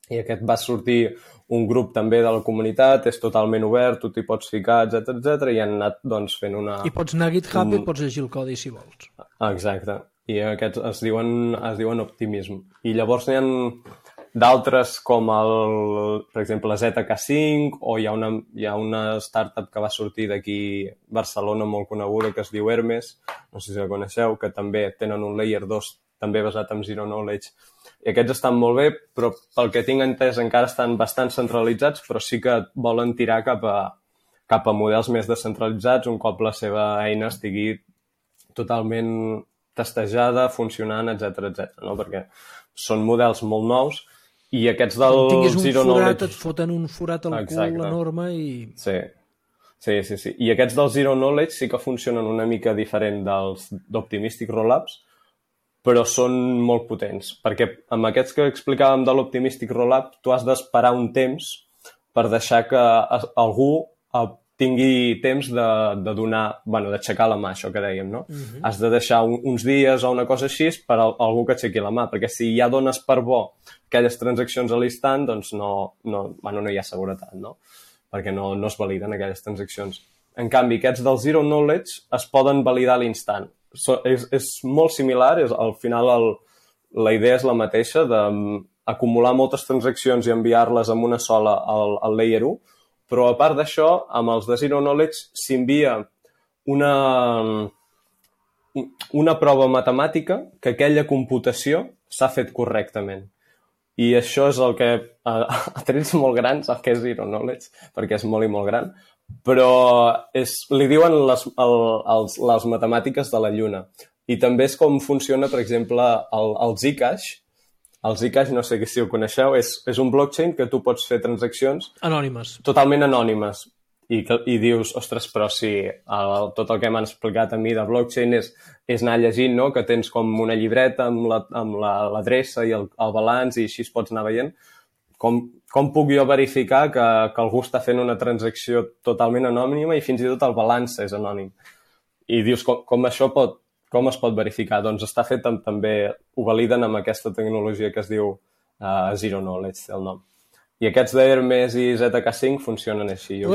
I aquest va sortir un grup també de la comunitat, és totalment obert, tu t'hi pots ficar, etc i han anat fent una... I pots anar a GitHub i pots llegir el codi si vols. Exacte. I aquests es diuen Optimism. I llavors n'hi ha d'altres com per exemple, ZK5, o hi ha una startup que va sortir d'aquí Barcelona molt coneguda que es diu Hermes, no sé si la coneixeu, que també tenen un Layer 2 també basat en Zero Knowledge. I aquests estan molt bé, però pel que tinc entès encara estan bastant centralitzats, però sí que volen tirar cap a models més descentralitzats un cop la seva eina estigui totalment testejada, funcionant, etc, no? Perquè són models molt nous i aquests del Zero Knowledge... Et foten un forat al cul enorme i... Sí. I aquests del Zero Knowledge sí que funcionen una mica diferent dels d'Optimistic Rollups, però són molt potents, perquè amb aquests que explicàvem de l'Optimistic Rollup tu has d'esperar un temps per deixar que algú tingui temps de donar, d'aixecar la mà, això que dèiem, no? Has de deixar uns dies o una cosa així per algú que aixequi la mà, perquè si ja dones per bo aquelles transaccions a l'instant, doncs no hi ha seguretat, no? Perquè no es validen aquelles transaccions. En canvi, aquests del Zero Knowledge es poden validar a l'instant. És molt similar, al final la idea és la mateixa d'acumular moltes transaccions i enviar-les amb una sola al Layer 1, però a part d'això, amb els de Zero Knowledge s'envia una prova matemàtica que aquella computació s'ha fet correctament. I això és el que, a trets molt grans, el que és Zero Knowledge, perquè és molt i molt gran, però li diuen les matemàtiques de la Lluna. I també és com funciona, per exemple, el Zcash. El Zcash, no sé si ho coneixeu, és un blockchain que tu pots fer transaccions anònimes. Totalment anònimes. i dius, ostres, però si tot el que m'han explicat a mi de blockchain és anar llegint, no? Que tens com una llibreta amb l'adreça i el balanç i així es pots anar veient. Com puc jo verificar que algú està fent una transacció totalment anònima i fins i tot el balanç és anònim? I dius, com es pot verificar? Doncs està fet també, ho validen amb aquesta tecnologia que es diu Zero Knowledge, el nom. I aquests d'Hermes i ZK5 funcionen així. El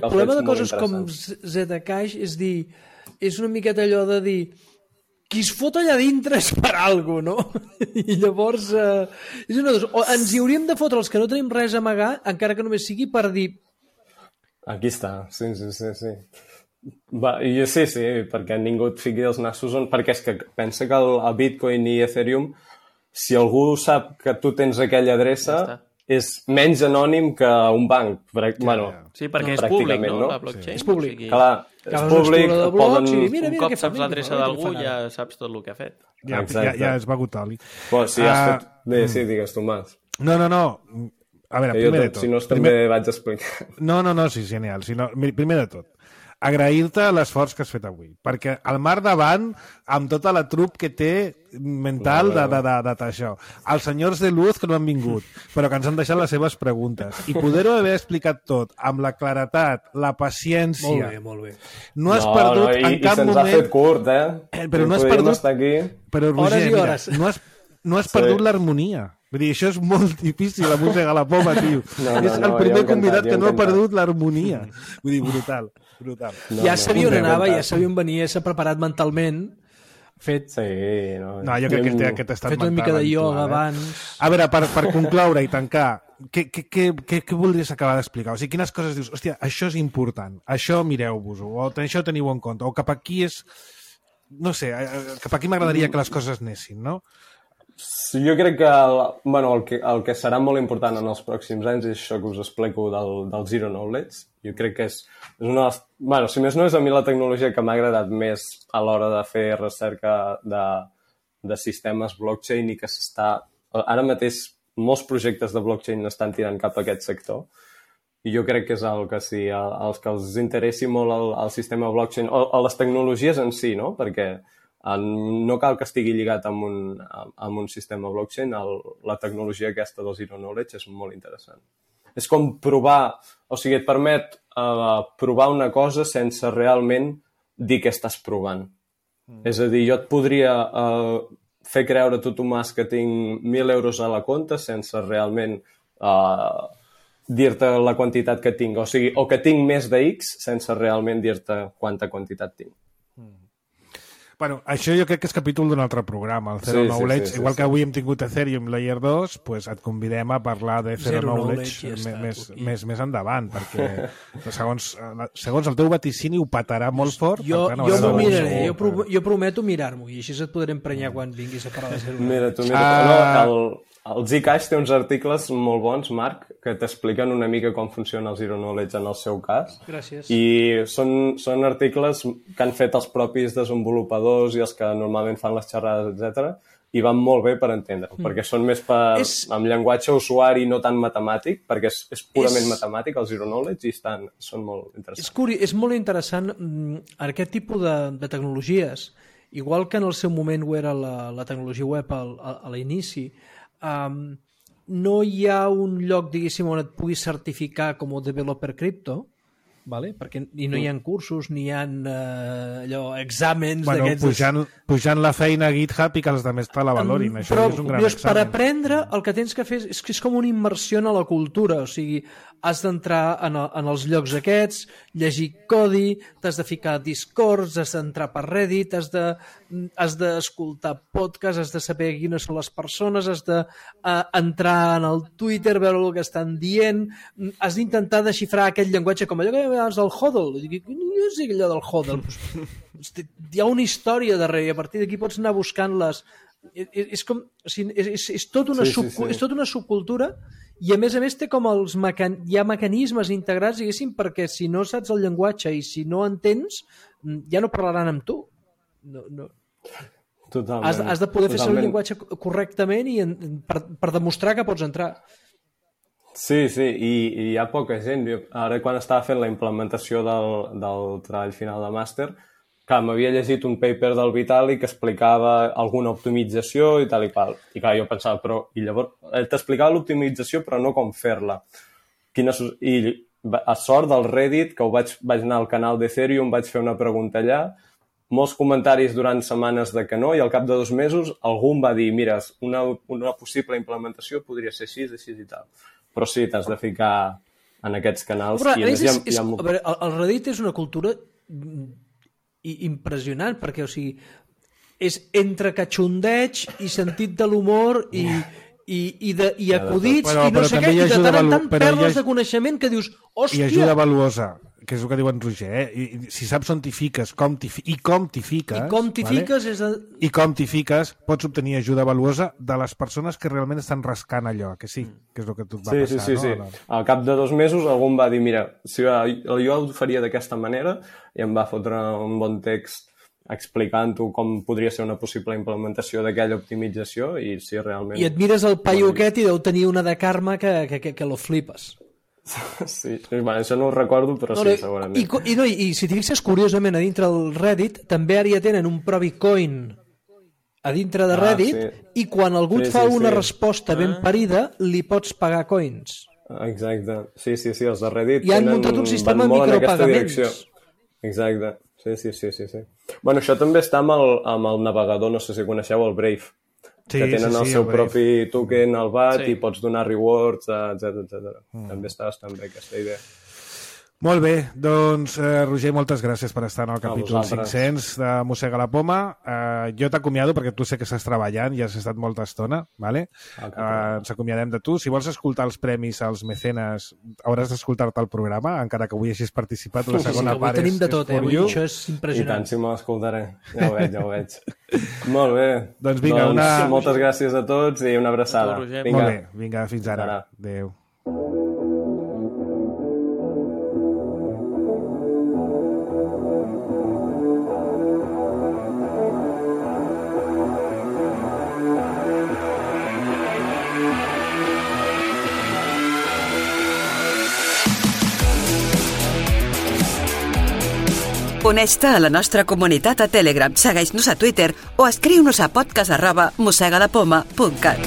problema de coses com Zcash és dir, és una miqueta allò de dir qui es fot allà dintre és per alguna cosa, no? I llavors és una cosa, o ens hi hauríem de fotre els que no tenim res a amagar, encara que només sigui per dir aquí està, sí. Sí, perquè ningú et fiqui els nassos perquè és que pensa que el Bitcoin i Ethereum, si algú sap que tu tens aquella adreça, és menys anònim que un banc. Sí, perquè és públic, no? La blockchain. És públic. Clar, és públic. Un cop saps l'adreça d'algú, ja saps tot el que ha fet. Ja has begut oli. Si has fet... Bé, sí, digues, Tomàs. No. A veure, primer de tot. Si no, també vaig explicar. No, sí, genial. Primer de tot, agrair-te l'esforç que has fet avui, perquè al mar davant, amb tota la trup que té mental d'això, els senyors de luz que no han vingut, però que ens han deixat les seves preguntes, i poder-ho haver explicat tot amb la claretat, la paciència. Molt bé. No has perdut en cap moment... I se'ns ha fet curt, Però no has perdut... Però, Roger, hores i hores. No has perdut l'harmonia. Vull dir, això és molt difícil, la música a la poma, tio. És el primer convidat que no ha perdut l'harmonia. Vull dir, brutal. Ja sabia on anava, ja sabia on venia, s'ha preparat mentalment, fet... Sí, no, jo crec que té aquest estat mental. Fet una mica de ioga abans... A veure, per concloure i tancar, què voldries acabar d'explicar? O sigui, quines coses dius? Hòstia, això és important, això mireu-vos-ho, o això teniu en compte, o cap aquí és... No sé, cap aquí m'agradaria que les coses anessin, no? Jo crec que el que serà molt important en els pròxims anys és això que us explico del Zero Knowledge. Jo crec que és una... si més no és a mi la tecnologia que m'ha agradat més a l'hora de fer recerca de sistemes blockchain i que s'està... Ara mateix molts projectes de blockchain estan tirant cap a aquest sector i jo crec que és el que sí, els que els interessi molt el sistema blockchain o les tecnologies en si, no? Perquè no cal que estigui lligat amb un sistema blockchain, la tecnologia aquesta del Zero Knowledge és molt interessant. És com provar, o sigui, et permet provar una cosa sense realment dir què estàs provant. És a dir, jo et podria fer creure a tu, Tomàs, que tinc 1.000 euros a la compte sense realment dir-te la quantitat que tinc, o sigui, o que tinc més de X sense realment dir-te quanta quantitat tinc. Bueno, això jo crec que és capítol d'un altre programa, el Zero Knowledge. Igual que avui hem tingut Ethereum Layer 2, pues et convidem a parlar de Zero Knowledge més endavant, perquè segons el teu vaticini ho patarà molt fort. Jo m'ho miraré, jo prometo mirar-m'ho, i així et podré emprenyar quan vinguis a parlar de Zero Knowledge. Mira, el Zcash té uns articles molt bons, Marc, que t'expliquen una mica com funciona el Zero Knowledge en el seu cas. Gràcies. I són articles que han fet els propis desenvolupadors i els que normalment fan les xerrades, etc. I van molt bé per entendre-ho, perquè són més amb llenguatge usuari no tan matemàtic, perquè és purament matemàtic, el Zero Knowledge, i són molt interessants. És molt interessant aquest tipus de tecnologies, igual que en el seu moment ho era la tecnologia web a l'inici. No hi ha un lloc, diguéssim, on et puguis certificar com a developer cripto, vale? Perquè no hi ha cursos, ni hi ha exàmens d'aquests... Pujant la feina a GitHub i que els altres te la valorin. Això és un gran examen. Per aprendre, el que tens que fer és que és com una immersió en la cultura, o sigui, has d'entrar en els llocs aquests, llegir codi, t'has de ficar a Discord, has d'entrar per Reddit, has d'escoltar podcasts, has de saber quines són les persones, has d'entrar en el Twitter, veure el que estan dient, has d'intentar desxifrar aquest llenguatge com allò que abans del HODL. No sé allò del HODL. Hi ha una història darrere i a partir d'aquí pots anar buscant-les. És tota una subcultura. I a més té com hi ha mecanismes integrats, diguéssim, perquè si no saps el llenguatge i si no entens, ja no parlaran amb tu. Totalment. Has de poder fer servir el llenguatge correctament i per demostrar que pots entrar. Sí, i hi ha poca gent. Ara, quan estava fent la implementació del treball final de màster, clar, m'havia llegit un paper del Vitali que explicava alguna optimització i tal i qual. I clar, jo pensava, però... I llavors, t'explicava l'optimització, però no com fer-la. I a sort del Reddit, que vaig anar al canal d'Ethereum, vaig fer una pregunta allà, molts comentaris durant setmanes de que no, i al cap de 2 mesos algú em va dir, mira, una possible implementació podria ser així i tal. Però sí, t'has de ficar en aquests canals. Però, el Reddit és una cultura impressionant, perquè, o sigui, és entre catxondeig i sentit de l'humor i acudits i no sé què, i de tant en tant perles de coneixement que dius, hòstia... I ajuda valuosa, que és el que diu en Roger, I si saps on t'hi fiques, com t'hi fiques, pots obtenir ajuda valuosa de les persones que realment estan rascant allò, que sí, que és el que tu et va passar. Sí. Al cap de 2 mesos algú em va dir, mira, si jo ho faria d'aquesta manera, i em va fotre un bon text explicant-ho com podria ser una possible implementació d'aquella optimització i si realment... I et mires el paio aquest i deu tenir una de karma que lo flipes. Sí, això no ho recordo, però sí, segurament. I si t'hi fixes, curiosament, a dintre del Reddit també ara ja tenen un propi coin a dintre de Reddit i quan algú et fa una resposta ben parida, li pots pagar coins. Exacte. Sí, els de Reddit i han muntat un sistema de micropagaments. Exacte. Sí. Bueno, això també està amb el navegador, no sé si coneixeu, el Brave, que tenen el seu propi token al BAT i pots donar rewards, etc. També està bastant bé aquesta idea. Molt bé, doncs Roger, moltes gràcies per estar en el capítol 500 de Mossega la Poma. Jo t'acomiado perquè tu sé que estàs treballant i has estat molta estona, ¿vale? Ens acomiadem de tu. Si vols escoltar els premis als mecenes, hauràs d'escoltar-te el programa, encara que avui hagis participat. La segona part és tenim de tot, avui això és impressionant. I tant, si me l'escoltaré. Ja ho veig. Molt bé. Doncs vinga, moltes gràcies a tots i una abraçada. Molt bé, vinga, fins ara. Adéu. Uneix-te a la nostra comunitat a Telegram, segueix-nos a Twitter o escriu-nos a podcast@mossegalapoma.cat.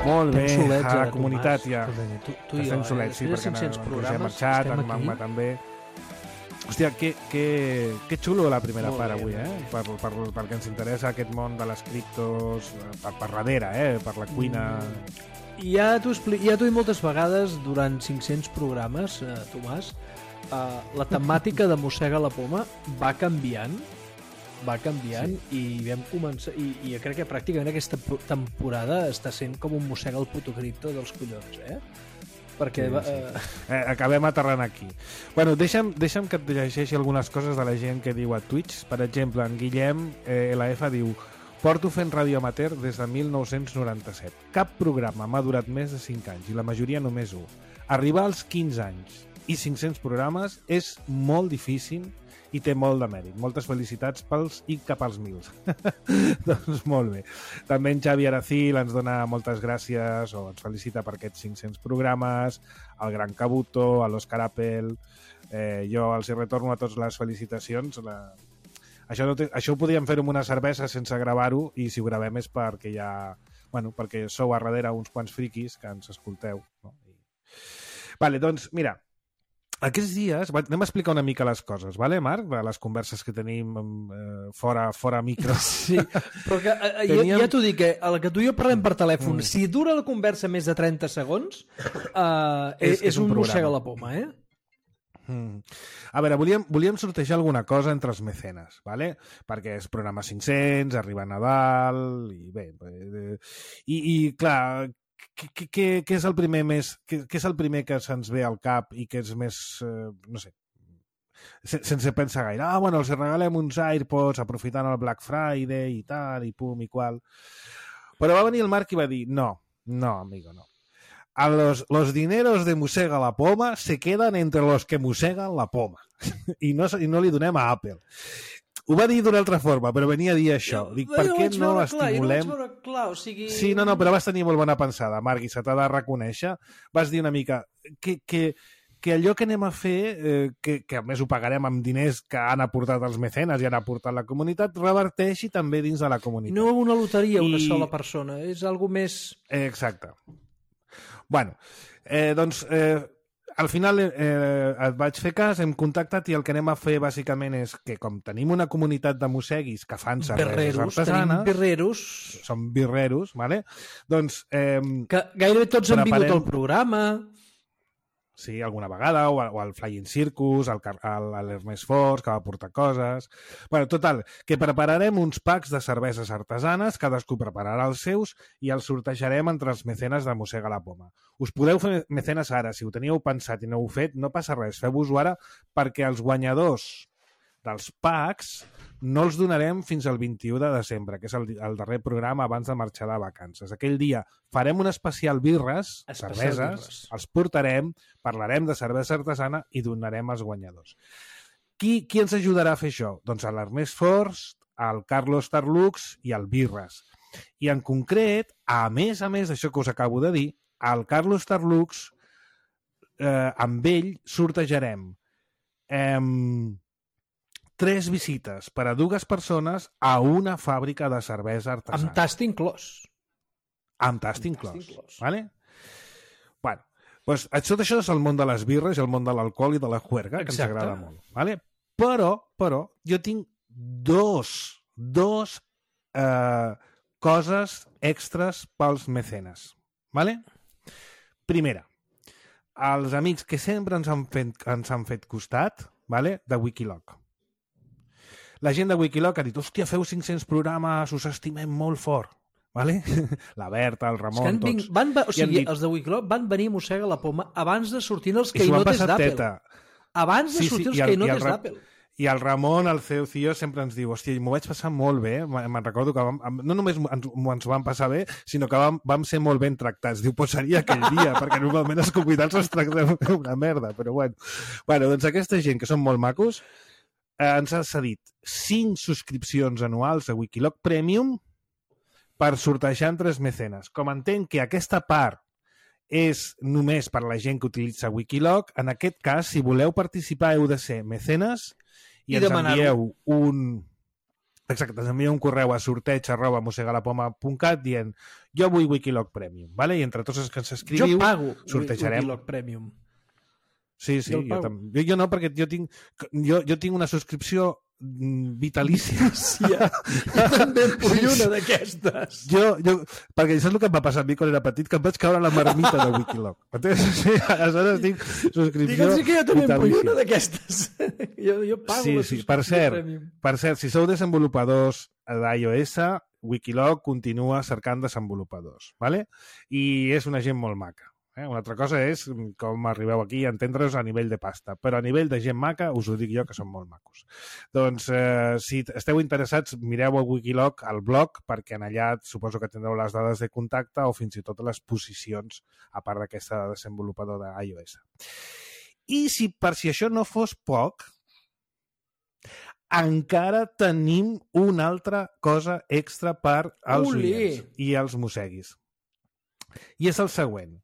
Molt bé, a la comunitat ja. Tu i jo, solets, sí, perquè Roger ha marxat, en Magma també. Hòstia, que xulo la primera part avui, perquè ens interessa aquest món de les criptos per darrere, per la cuina. Ja t'ho he dit moltes vegades durant 500 programes, Tomàs, la temàtica de Mossega la Poma va canviant i vam començar i jo crec que pràcticament aquesta temporada està sent com un mossega el puto cripto dels collons, perquè acabem aterrant aquí. Bueno, deixa'm que et llegeixi algunes coses de la gent que diu a Twitch. Per exemple, en Guillem LF diu: porto fent ràdio amateur des de 1997. Cap programa m'ha durat més de 5 anys i la majoria només 1. Arribar als 15 anys i 500 programes és molt difícil i té molt de mèrit. Moltes felicitats pels i cap als 1000. Doncs molt bé. També en Xavi Aracil ens dona moltes gràcies o ens felicita per aquests 500 programes, al Gran Cabuto, a l'Òscar Apple. Jo els hi retorno a tots les felicitacions. Això ho podríem fer amb una cervesa sense gravar-ho i si ho gravem és perquè perquè sou a darrere uns quants friquis que ens escolteu. No? Vale, doncs mira, aquests dies, anem a explicar una mica les coses, vale, Marc? De les converses que tenim fora micro. Sí, però que, ja t'ho dic, a la que tu i jo parlem per telèfon, si dura la conversa més de 30 segons, és un mossega la poma, A veure, volíem sortejar alguna cosa entre els mecenes, vale? Perquè és programa 500, arriba Nadal, i bé, i clar, què és el primer què és el primer que se'ns ve al cap i que és més, no sé, sense pensar gaire, bueno, els regalem uns AirPods aprofitant el Black Friday i tal, i pum i qual. Però va venir el Marc i va dir, no, amigo, no. los dineros de Mossega la Poma se quedan entre los que mosseguen la poma. I no li donem a Apple. Ho va dir d'una altra forma, però venia a dir això. Dic, per què no estimulem... Clar, o sigui... Sí, no, però vas tenir molt bona pensada, Marc, i se t'ha de reconèixer. Vas dir una mica que allò que anem a fer, que a més ho pagarem amb diners que han aportat els mecenes i han aportat la comunitat, reverteixi també dins de la comunitat. No una loteria, una sola persona, és algo més... Exacte. Bueno, doncs... al final et vaig fer cas, hem contactat i el que anem a fer bàsicament és que com tenim una comunitat de mosseguis que fan cerveses artesanes... Som birreros, ¿vale? Doncs... que gairebé tots han vingut al programa... Sí, alguna vegada, o al Flying Circus, a l'Ernest Force, que va portar coses... Bueno, total, que prepararem uns packs de cerveses artesanes, cadascú prepararà els seus i els sortejarem entre els mecenes de Mossega la Poma. Us podeu fer mecenes ara, si ho teníeu pensat i no ho heu fet, no passa res, feu-vos-ho ara, perquè els guanyadors dels packs no els donarem fins al 21 de desembre, que és el darrer programa abans de marxar de vacances. Aquell dia farem un especial birres, cerveses, els portarem, parlarem de cervesa artesana i donarem als guanyadors. Qui ens ajudarà a fer això? Doncs l'Ernest Forst, el Carlos Tarlux i el Birres. I en concret, a més d'això que us acabo de dir, el Carlos Tarlux, amb ell sortejarem 3 visites per a 2 persones a una fàbrica de cervesa artesana. Amb tast inclòs. Amb tast inclòs. Vale? Bueno, doncs tot això és el món de les birres, el món de l'alcohol i de la juerga, que ens agrada molt. Vale? Però jo tinc dos coses extres pels mecenes. Vale? Primera, els amics que sempre ens han fet costat, vale? De Wikiloc. La gent de Wikiloc ha dit, hòstia, feu 500 programes, us estimem molt fort. Vale? La Berta, el Ramon, tots. O sigui, els de Wikiloc van venir a Mossega la Poma abans de sortir els caïnotes d'Apple. Abans de sortir els caïnotes d'Apple. I el Ramon, el CEO, sempre ens diu, hòstia, m'ho vaig passar molt bé, me'n recordo que no només ens ho vam passar bé, sinó que vam ser molt ben tractats. Diu, pues seria aquell dia, perquè normalment els convidats els tractem una merda, però bueno. Bueno, doncs aquesta gent, que són molt macos, ens ha cedit 5 subscripcions anuals a Wikiloc Premium per sortejar entre els mecenes. Com entenc que aquesta part és només per a la gent que utilitza Wikiloc, en aquest cas, si voleu participar, heu de ser mecenes i ens envieu ens envieu un correu a sorteig@mossegalapoma.cat dient jo vull Wikiloc Premium, vale? I entre tots els que ens escriviu, jo pago sortejarem Wikiloc Premium. Sí, jo no, perquè jo tinc una subscripció vitalícia. Sí, jo també em vull una d'aquestes. Perquè saps el que em va passar a mi quan era petit? Que em vaig caure a la marmita de Wikiloc. Sí, aleshores tinc subscripció vitalícia. Que jo també em vull una d'aquestes. Jo pago la subscripció Premium. Per cert, si sou desenvolupadors d'iOS, Wikiloc continua cercant desenvolupadors, ¿vale? I és una gent molt maca. Una altra cosa és com arribeu aquí a entendre's a nivell de pasta, però a nivell de gent maca us ho dic jo que són molt macos. Doncs si esteu interessats, mireu a Wikiloc al blog, perquè en allà suposo que tindreu les dades de contacte o fins i tot les posicions a part d'aquesta desenvolupador d'iOS. I si això no fos poc, encara tenim una altra cosa extra per als oients i als mosseguis. I és el següent.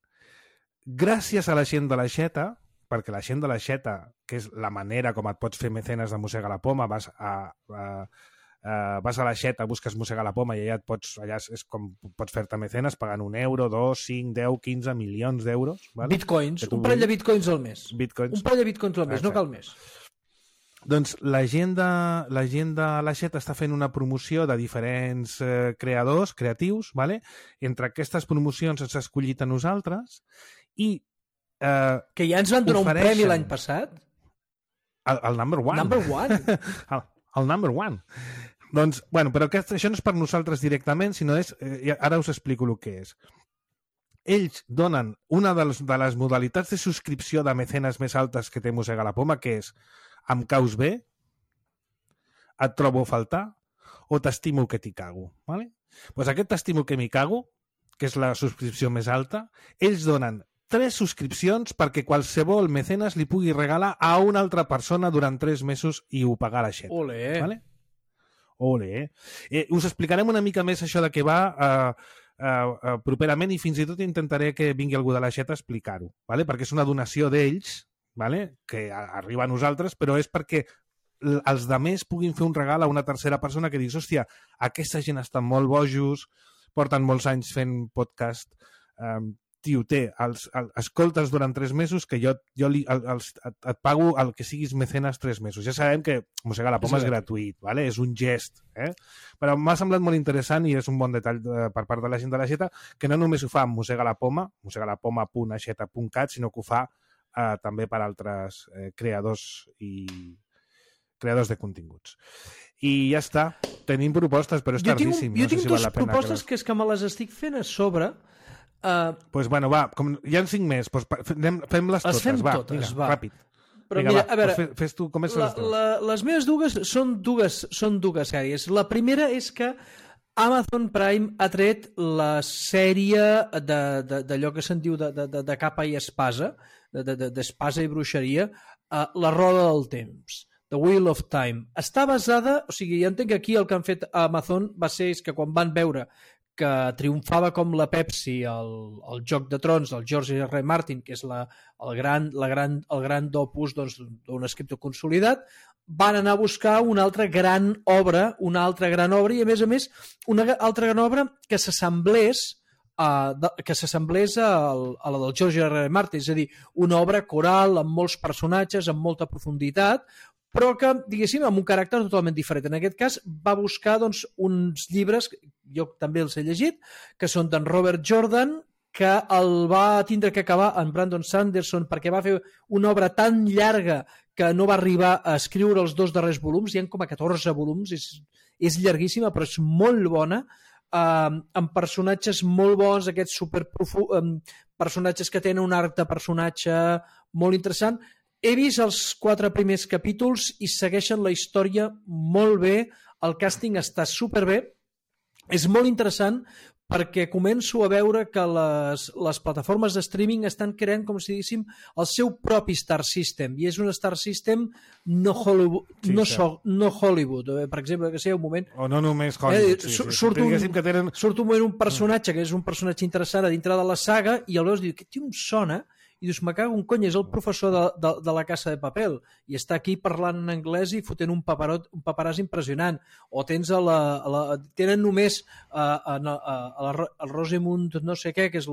Gràcies a la gent de l'Aixeta, perquè la gent de l'Aixeta, que és la manera com et pots fer mecenes de Mossega la Poma, vas a l'Aixeta, busques Mossega la Poma i allà és com pots fer-te mecenes pagant 1 euro, 2, 5, 10, 15 milions d'euros. Vale? Bitcoins, un parell de bitcoins al mes. Un parell de bitcoins al mes, no cal més. Doncs la gent de l'Aixeta està fent una promoció de diferents creadors, creatius, ¿vale? Entre aquestes promocions ens ha escollit a nosaltres i que ja ens van donar un premi l'any passat. El number one. El number one. Doncs, bueno, però això no és per nosaltres directament, sinó és... ara us explico el que és. Ells donen una de les modalitats de subscripció de mecenes més altes que té Mossega la Poma, que és em caus bé, et trobo a faltar o t'estimo que t'hi cago. Vale? Pues aquest t'estimo que m'hi cago, que és la subscripció més alta, ells donen 3 subscripcions perquè qualsevol mecenes li pugui regalar a una altra persona durant 3 mesos i ho pagar a l'aixeta. Ole. Vale? Ole. Us explicarem una mica més això de què va properament i fins i tot intentaré que vingui algú de l'aixeta a explicar-ho, vale? Perquè és una donació d'ells, vale? Que arriba a nosaltres, però és perquè els demés puguin fer un regal a una tercera persona que diguis, hòstia, aquesta gent estan molt bojos, porten molts anys fent podcast, tio, escoltes durant 3 mesos que jo et pago el que siguis mecenes 3 mesos. Ja sabem que Mossegar la Poma és gratuït, vale? És un gest, però m'ha semblat molt interessant i és un bon detall per part de la gent de l'Aixeta, que no només ho fa amb Mossegar la Poma, mossegarlapoma.aixeta.cat, sinó que ho fa també per altres creadors de continguts. I ja està. Tenim propostes, però és tardíssim. Jo tinc 2 propostes que és que me les estic fent a sobre. Pues bueno, va, hi ha 5 més, pues fem-les totes. Les fem va, totes, vinga, va. Ràpid. Però vinga, mira, va, a veure, pues fes tu, comença les dues. Les meves dues són dues sèries. La primera és que Amazon Prime ha tret la sèrie d'allò que se'n diu de capa i espasa, d'espasa i bruixeria, La roda del temps, The Wheel of Time. Està basada, o sigui, ja entenc que aquí el que han fet a Amazon va ser que quan van veure que triomfava com la Pepsi el Joc de Trons del George R. Martin, que és el gran opus d'un escriptor consolidat, van anar a buscar una altra gran obra i a més una altra gran obra que s'assemblés a la del George R. Martin, és a dir, una obra coral amb molts personatges, amb molta profunditat, però que, diguéssim, amb un caràcter totalment diferent. En aquest cas, va buscar uns llibres, jo també els he llegit, que són d'en Robert Jordan, que el va tindre que acabar en Brandon Sanderson perquè va fer una obra tan llarga que no va arribar a escriure els 2 darrers volums, hi ha com a 14 volums, és llarguíssima, però és molt bona, amb personatges molt bons, aquests personatges que tenen un arc de personatge molt interessant. He vist els 4 primers capítols i segueixen la història molt bé, el càsting està superbé, és molt interessant perquè començo a veure que les plataformes de streaming estan creant, com si diguéssim, el seu propi Star System, i és un Star System no Hollywood. Sí, no Hollywood. Per exemple, que sé, un moment... O no només Hollywood. Surt un moment un personatge que és un personatge interessant a dintre de la saga i el veus i diu, que tio, em sona... I dius, me cago un cony, és el professor de la Casa de Papel i està aquí parlant en anglès i fotent un paperàs impressionant. O tens tenen només a Rosamund no sé què, que és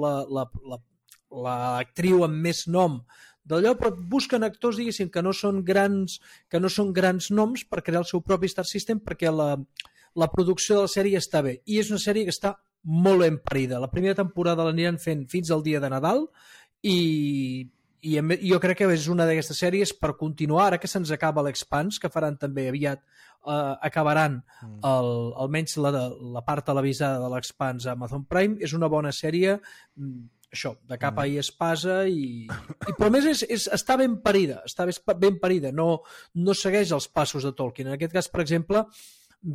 l'actriu amb més nom d'allò, però busquen actors, diguéssim, que no són grans noms per crear el seu propi Star System, perquè la producció de la sèrie està bé. I és una sèrie que està molt ben parida. La primera temporada l'aniran fent fins al dia de Nadal i jo crec que és una d'aquestes sèries per continuar, ara que se'ns acaba l'Expanse, que faran també aviat, acabaran almenys la part televisada de l'Expanse a Amazon Prime. És una bona sèrie, això, de capa i espasa, però a més està ben parida, no segueix els passos de Tolkien. En aquest cas, per exemple,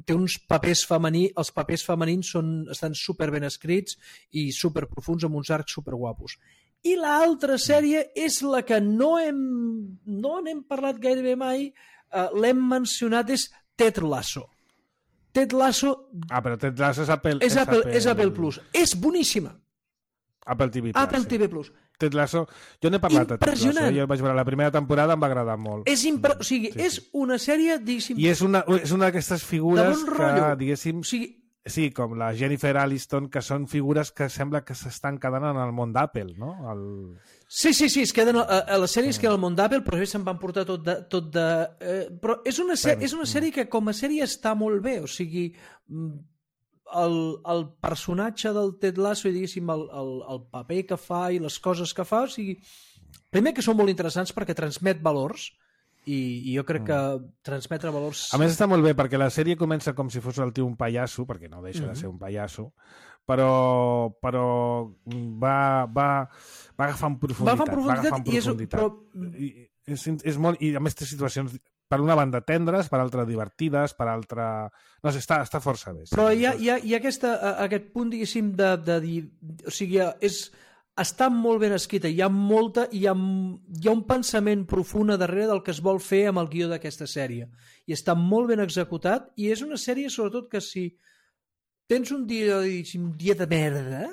té uns papers femenins, els papers femenins estan super ben escrits i super profuns, amb uns arcs super guapos. I l'altra sèrie és la que no n'hem parlat gairebé mai, l'hem mencionat, és Ted Lasso. Ted Lasso... però Ted Lasso és Apple... És Apple Plus. És boníssima. Apple TV Plus. Apple TV Plus. Ted Lasso... Jo n'he parlat de Ted Lasso. Jo vaig veure la primera temporada, em va agradar molt. O sigui, és una sèrie, diguéssim... I és una d'aquestes figures que, diguéssim... Sí, com la Jennifer Aniston, que són figures que sembla que s'estan quedant en el món d'Apple, no? Sí, es queden a les sèries que en el món d'Apple, però se'n van portar tot de... Però és una sèrie que com a sèrie està molt bé, o sigui, el personatge del Ted Lasso i, diguéssim, el paper que fa i les coses que fa, o sigui, primer que són molt interessants perquè transmet valors, i jo crec que transmetre valors... A més està molt bé perquè la sèrie comença com si fos el tio un pallasso, perquè no deixa de ser un pallasso, però va agafant profunditat. És molt, i a més té situacions per una banda tendres, per altra divertides, per altra... No sé, està força bé. Però hi ha aquest punt, diguéssim, de dir... O sigui, està molt ben escrita, hi ha un pensament profund a darrere del que es vol fer amb el guió d'aquesta sèrie. I està molt ben executat, i és una sèrie, sobretot, que si tens un dia de merda...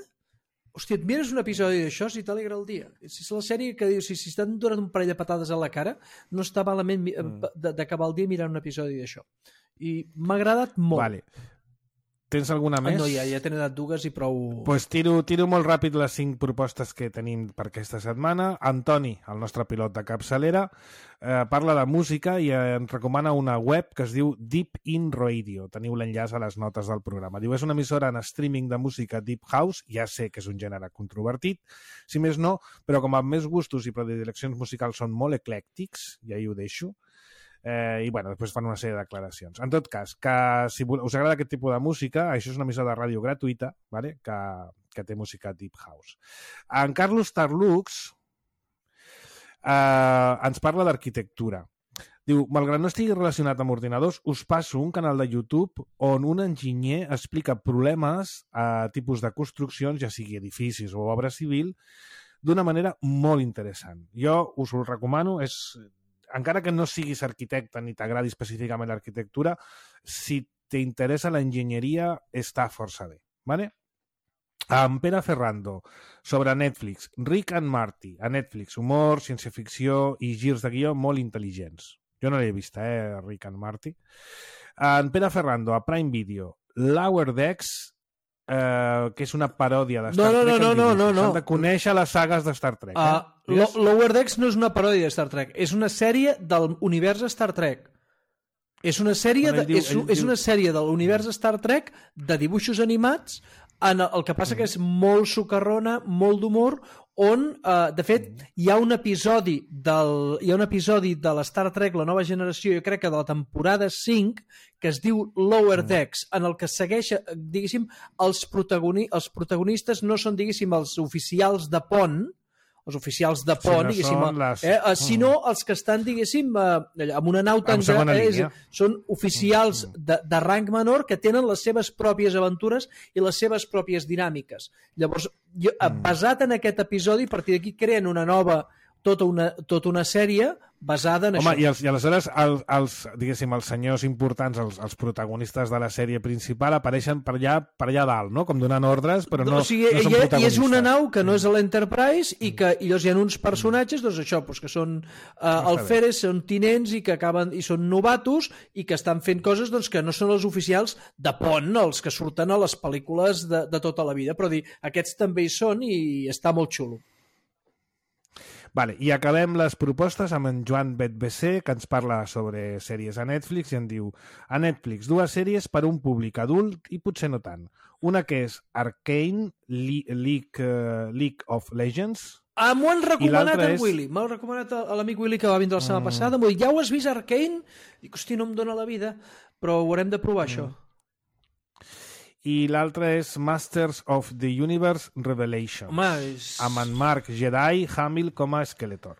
Hòstia, et mires un episodi d'això si t'alegra el dia. Si és la sèrie que dius, si estan donant un parell de patades a la cara, no està malament d'acabar el dia mirant un episodi d'això. I m'ha agradat molt. Vale. Tens alguna més? No, ja t'he anat dues i prou... Pues tiro molt ràpid les 5 propostes que tenim per aquesta setmana. Antoni, el nostre pilot de capçalera, parla de música i ens recomana una web que es diu Deep In Radio. Teniu l'enllaç a les notes del programa. Diu, és una emissora en streaming de música Deep House, ja sé que és un gènere controvertit, si més no, però com a més gustos i predileccions musicals són molt eclèctics, ja hi ho deixo, i bueno, després fan una sèrie de declaracions. En tot cas, que si us agrada aquest tipus de música, això és una emissora de ràdio gratuïta, vale? que té música Deep House. En Carlos Tarlux ens parla d'arquitectura. Diu, malgrat no estigui relacionat amb ordinadors, us passo un canal de YouTube on un enginyer explica problemes a tipus de construccions, ja sigui edificis o obra civil, d'una manera molt interessant. Jo us ho recomano, encara que no siguis arquitecte ni t'agradi específicament l'arquitectura, si t'interessa l'enginyeria, està força bé. ¿Vale? En Pere Ferrando, sobre Netflix, Rick and Morty, a Netflix, humor, ciència-ficció i girs de guió molt intel·ligents. Jo no l'he vist, Rick and Morty. En Pere Ferrando, a Prime Video, Lower Decks, que és una paròdia de Star Trek. No. S'han de conèixer les sagues de Star Trek. Lower Decks no és una paròdia de Star Trek, és una sèrie del univers Star Trek. És una sèrie de l'univers Star Trek de dibuixos animats. El que passa que és molt socarrona, molt d'humor, on, de fet, hi ha un episodi de l'Star Trek, la nova generació, jo crec que de la temporada 5, que es diu Lower Decks, en el que segueix, diguéssim, els protagonistes no són, diguéssim, els oficials de pont, diguéssim, sinó els que estan, diguéssim, amb una nau tan gran, són oficials de rang menor que tenen les seves pròpies aventures i les seves pròpies dinàmiques. Llavors, basat en aquest episodi, a partir d'aquí creen una nova, tota una sèrie basada en això. Home, i aleshores diguéssim, els senyors importants, els protagonistes de la sèrie principal apareixen per allà dalt, no? Com donant ordres, però no són protagonistes. I és una nau que no és l'Enterprise i llavors hi ha uns personatges, doncs això, que són alferes, són tinents i que acaben i són novatos i que estan fent coses que no són els oficials de pont, els que surten a les pel·lícules de tota la vida, però aquests també hi són i està molt xulo. Vale, i acabem les propostes amb en Joan BetBC, que ens parla sobre sèries a Netflix i en diu: a Netflix, 2 sèries per a un públic adult i potser no tant. Una que és Arcane, League of Legends. M'ho han recomanat el Willy. M'ho ha recomanat l'amic Willy que va vindre la setmana passada. M'ho diu, ja ho has vist, Arcane? Dic, hosti, no em dóna la vida, però ho haurem de provar, això. I l'altre és Masters of the Universe Revelations. Amb en Mark Jedi Hamill com a Skeletor.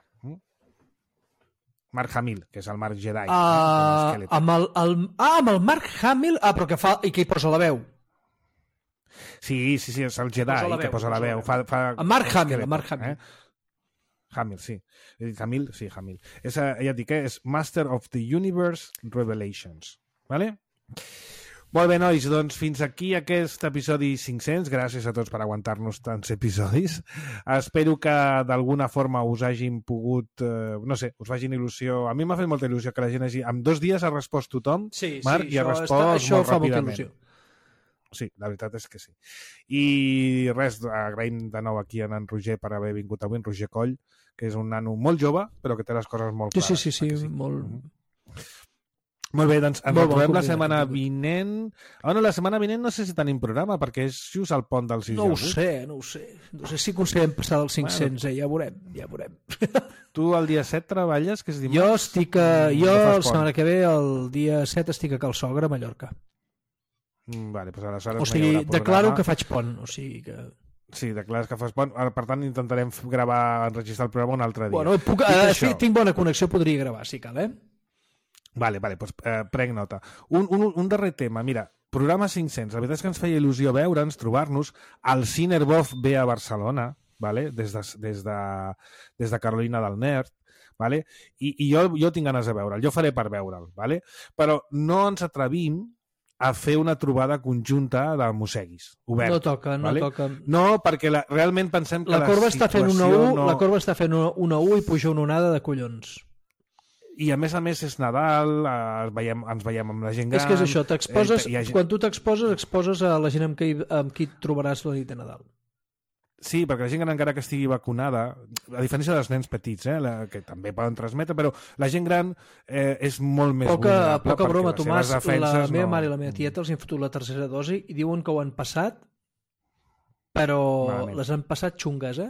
Mark Hamill, que és el Mark Jedi. Amb el Mark Hamill, però que hi posa la veu. Sí, és el Jedi que posa la veu. Mark Hamill. Hamill, sí. Hamill. Ja et dic, és Master of the Universe Revelations. Vale? Molt bé, nois, doncs fins aquí aquest episodi 500. Gràcies a tots per aguantar-nos tants episodis. Espero que d'alguna forma us hagin pogut, no sé, us facin il·lusió. A mi m'ha fet molta il·lusió que la gent hagi... En 2 dies ha respost tothom, Marc, i ha respost molt ràpidament. Sí, la veritat és que sí. I res, agraïm de nou aquí a en Roger per haver vingut avui, en Roger Coll, que és un nano molt jove, però que té les coses molt clares. Sí, molt... Molt bé, doncs ens retrobem la setmana vinent. La setmana vinent no sé si tenim programa, perquè és just al pont del 6 d'agost. No ho sé. No sé si aconseguim passar dels 500, ja veurem. Tu el dia 7 treballes, que és dimarts? Jo la setmana que ve, el dia 7, estic a Cal Sogre, a Mallorca. Vale, doncs aleshores o sigui, declaro que faig pont, o sigui que... Sí, declares que fas pont. Per tant, intentarem enregistrar el programa un altre dia. Bueno, tinc bona connexió, podria gravar, si cal, Vale, doncs prenc nota. Un darrer tema, mira, programa 500. La veritat és que ens feia il·lusió veure'ns, trobar-nos. El Cinerbov ve a Barcelona, vale? des de Carolina del Nord, vale? I jo tinc ganes de veure'l, jo faré per veure'l, vale? Però no ens atrevim a fer una trobada conjunta de mosseguis, obert. No toca, vale? no toca. No, perquè realment pensem que la corba està fent una U, no... la corba està fent una U i puja una onada de collons. I a més és Nadal, ens veiem amb la gent gran... És que és això, t'exposes, quan tu t'exposes, exposes a la gent amb qui et trobaràs la nit de Nadal. Sí, perquè la gent gran, encara que estigui vacunada, a diferència dels nens petits, que també poden transmetre, però la gent gran és molt més vulnerable. Poca broma, Tomàs, la meva mare i la meva Mm. tieta els han fotut la tercera dosi i diuen que ho han passat, però les han passat xungues,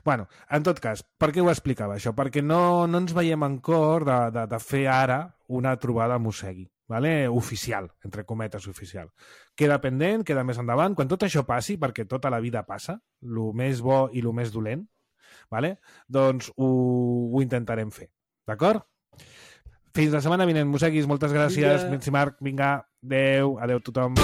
Bueno, en tot cas, per què ho explicava això? Perquè no ens veiem en cor de fer ara una trobada mossegui, vale? Oficial, entre cometes oficial. Queda pendent, queda més endavant. Quan tot això passi, perquè tota la vida passa, el més bo i el més dolent, vale? Doncs ho intentarem fer, d'acord? Fins la setmana vinent, mosseguis, moltes gràcies. Vinga. Marc, vinga, adeu tothom.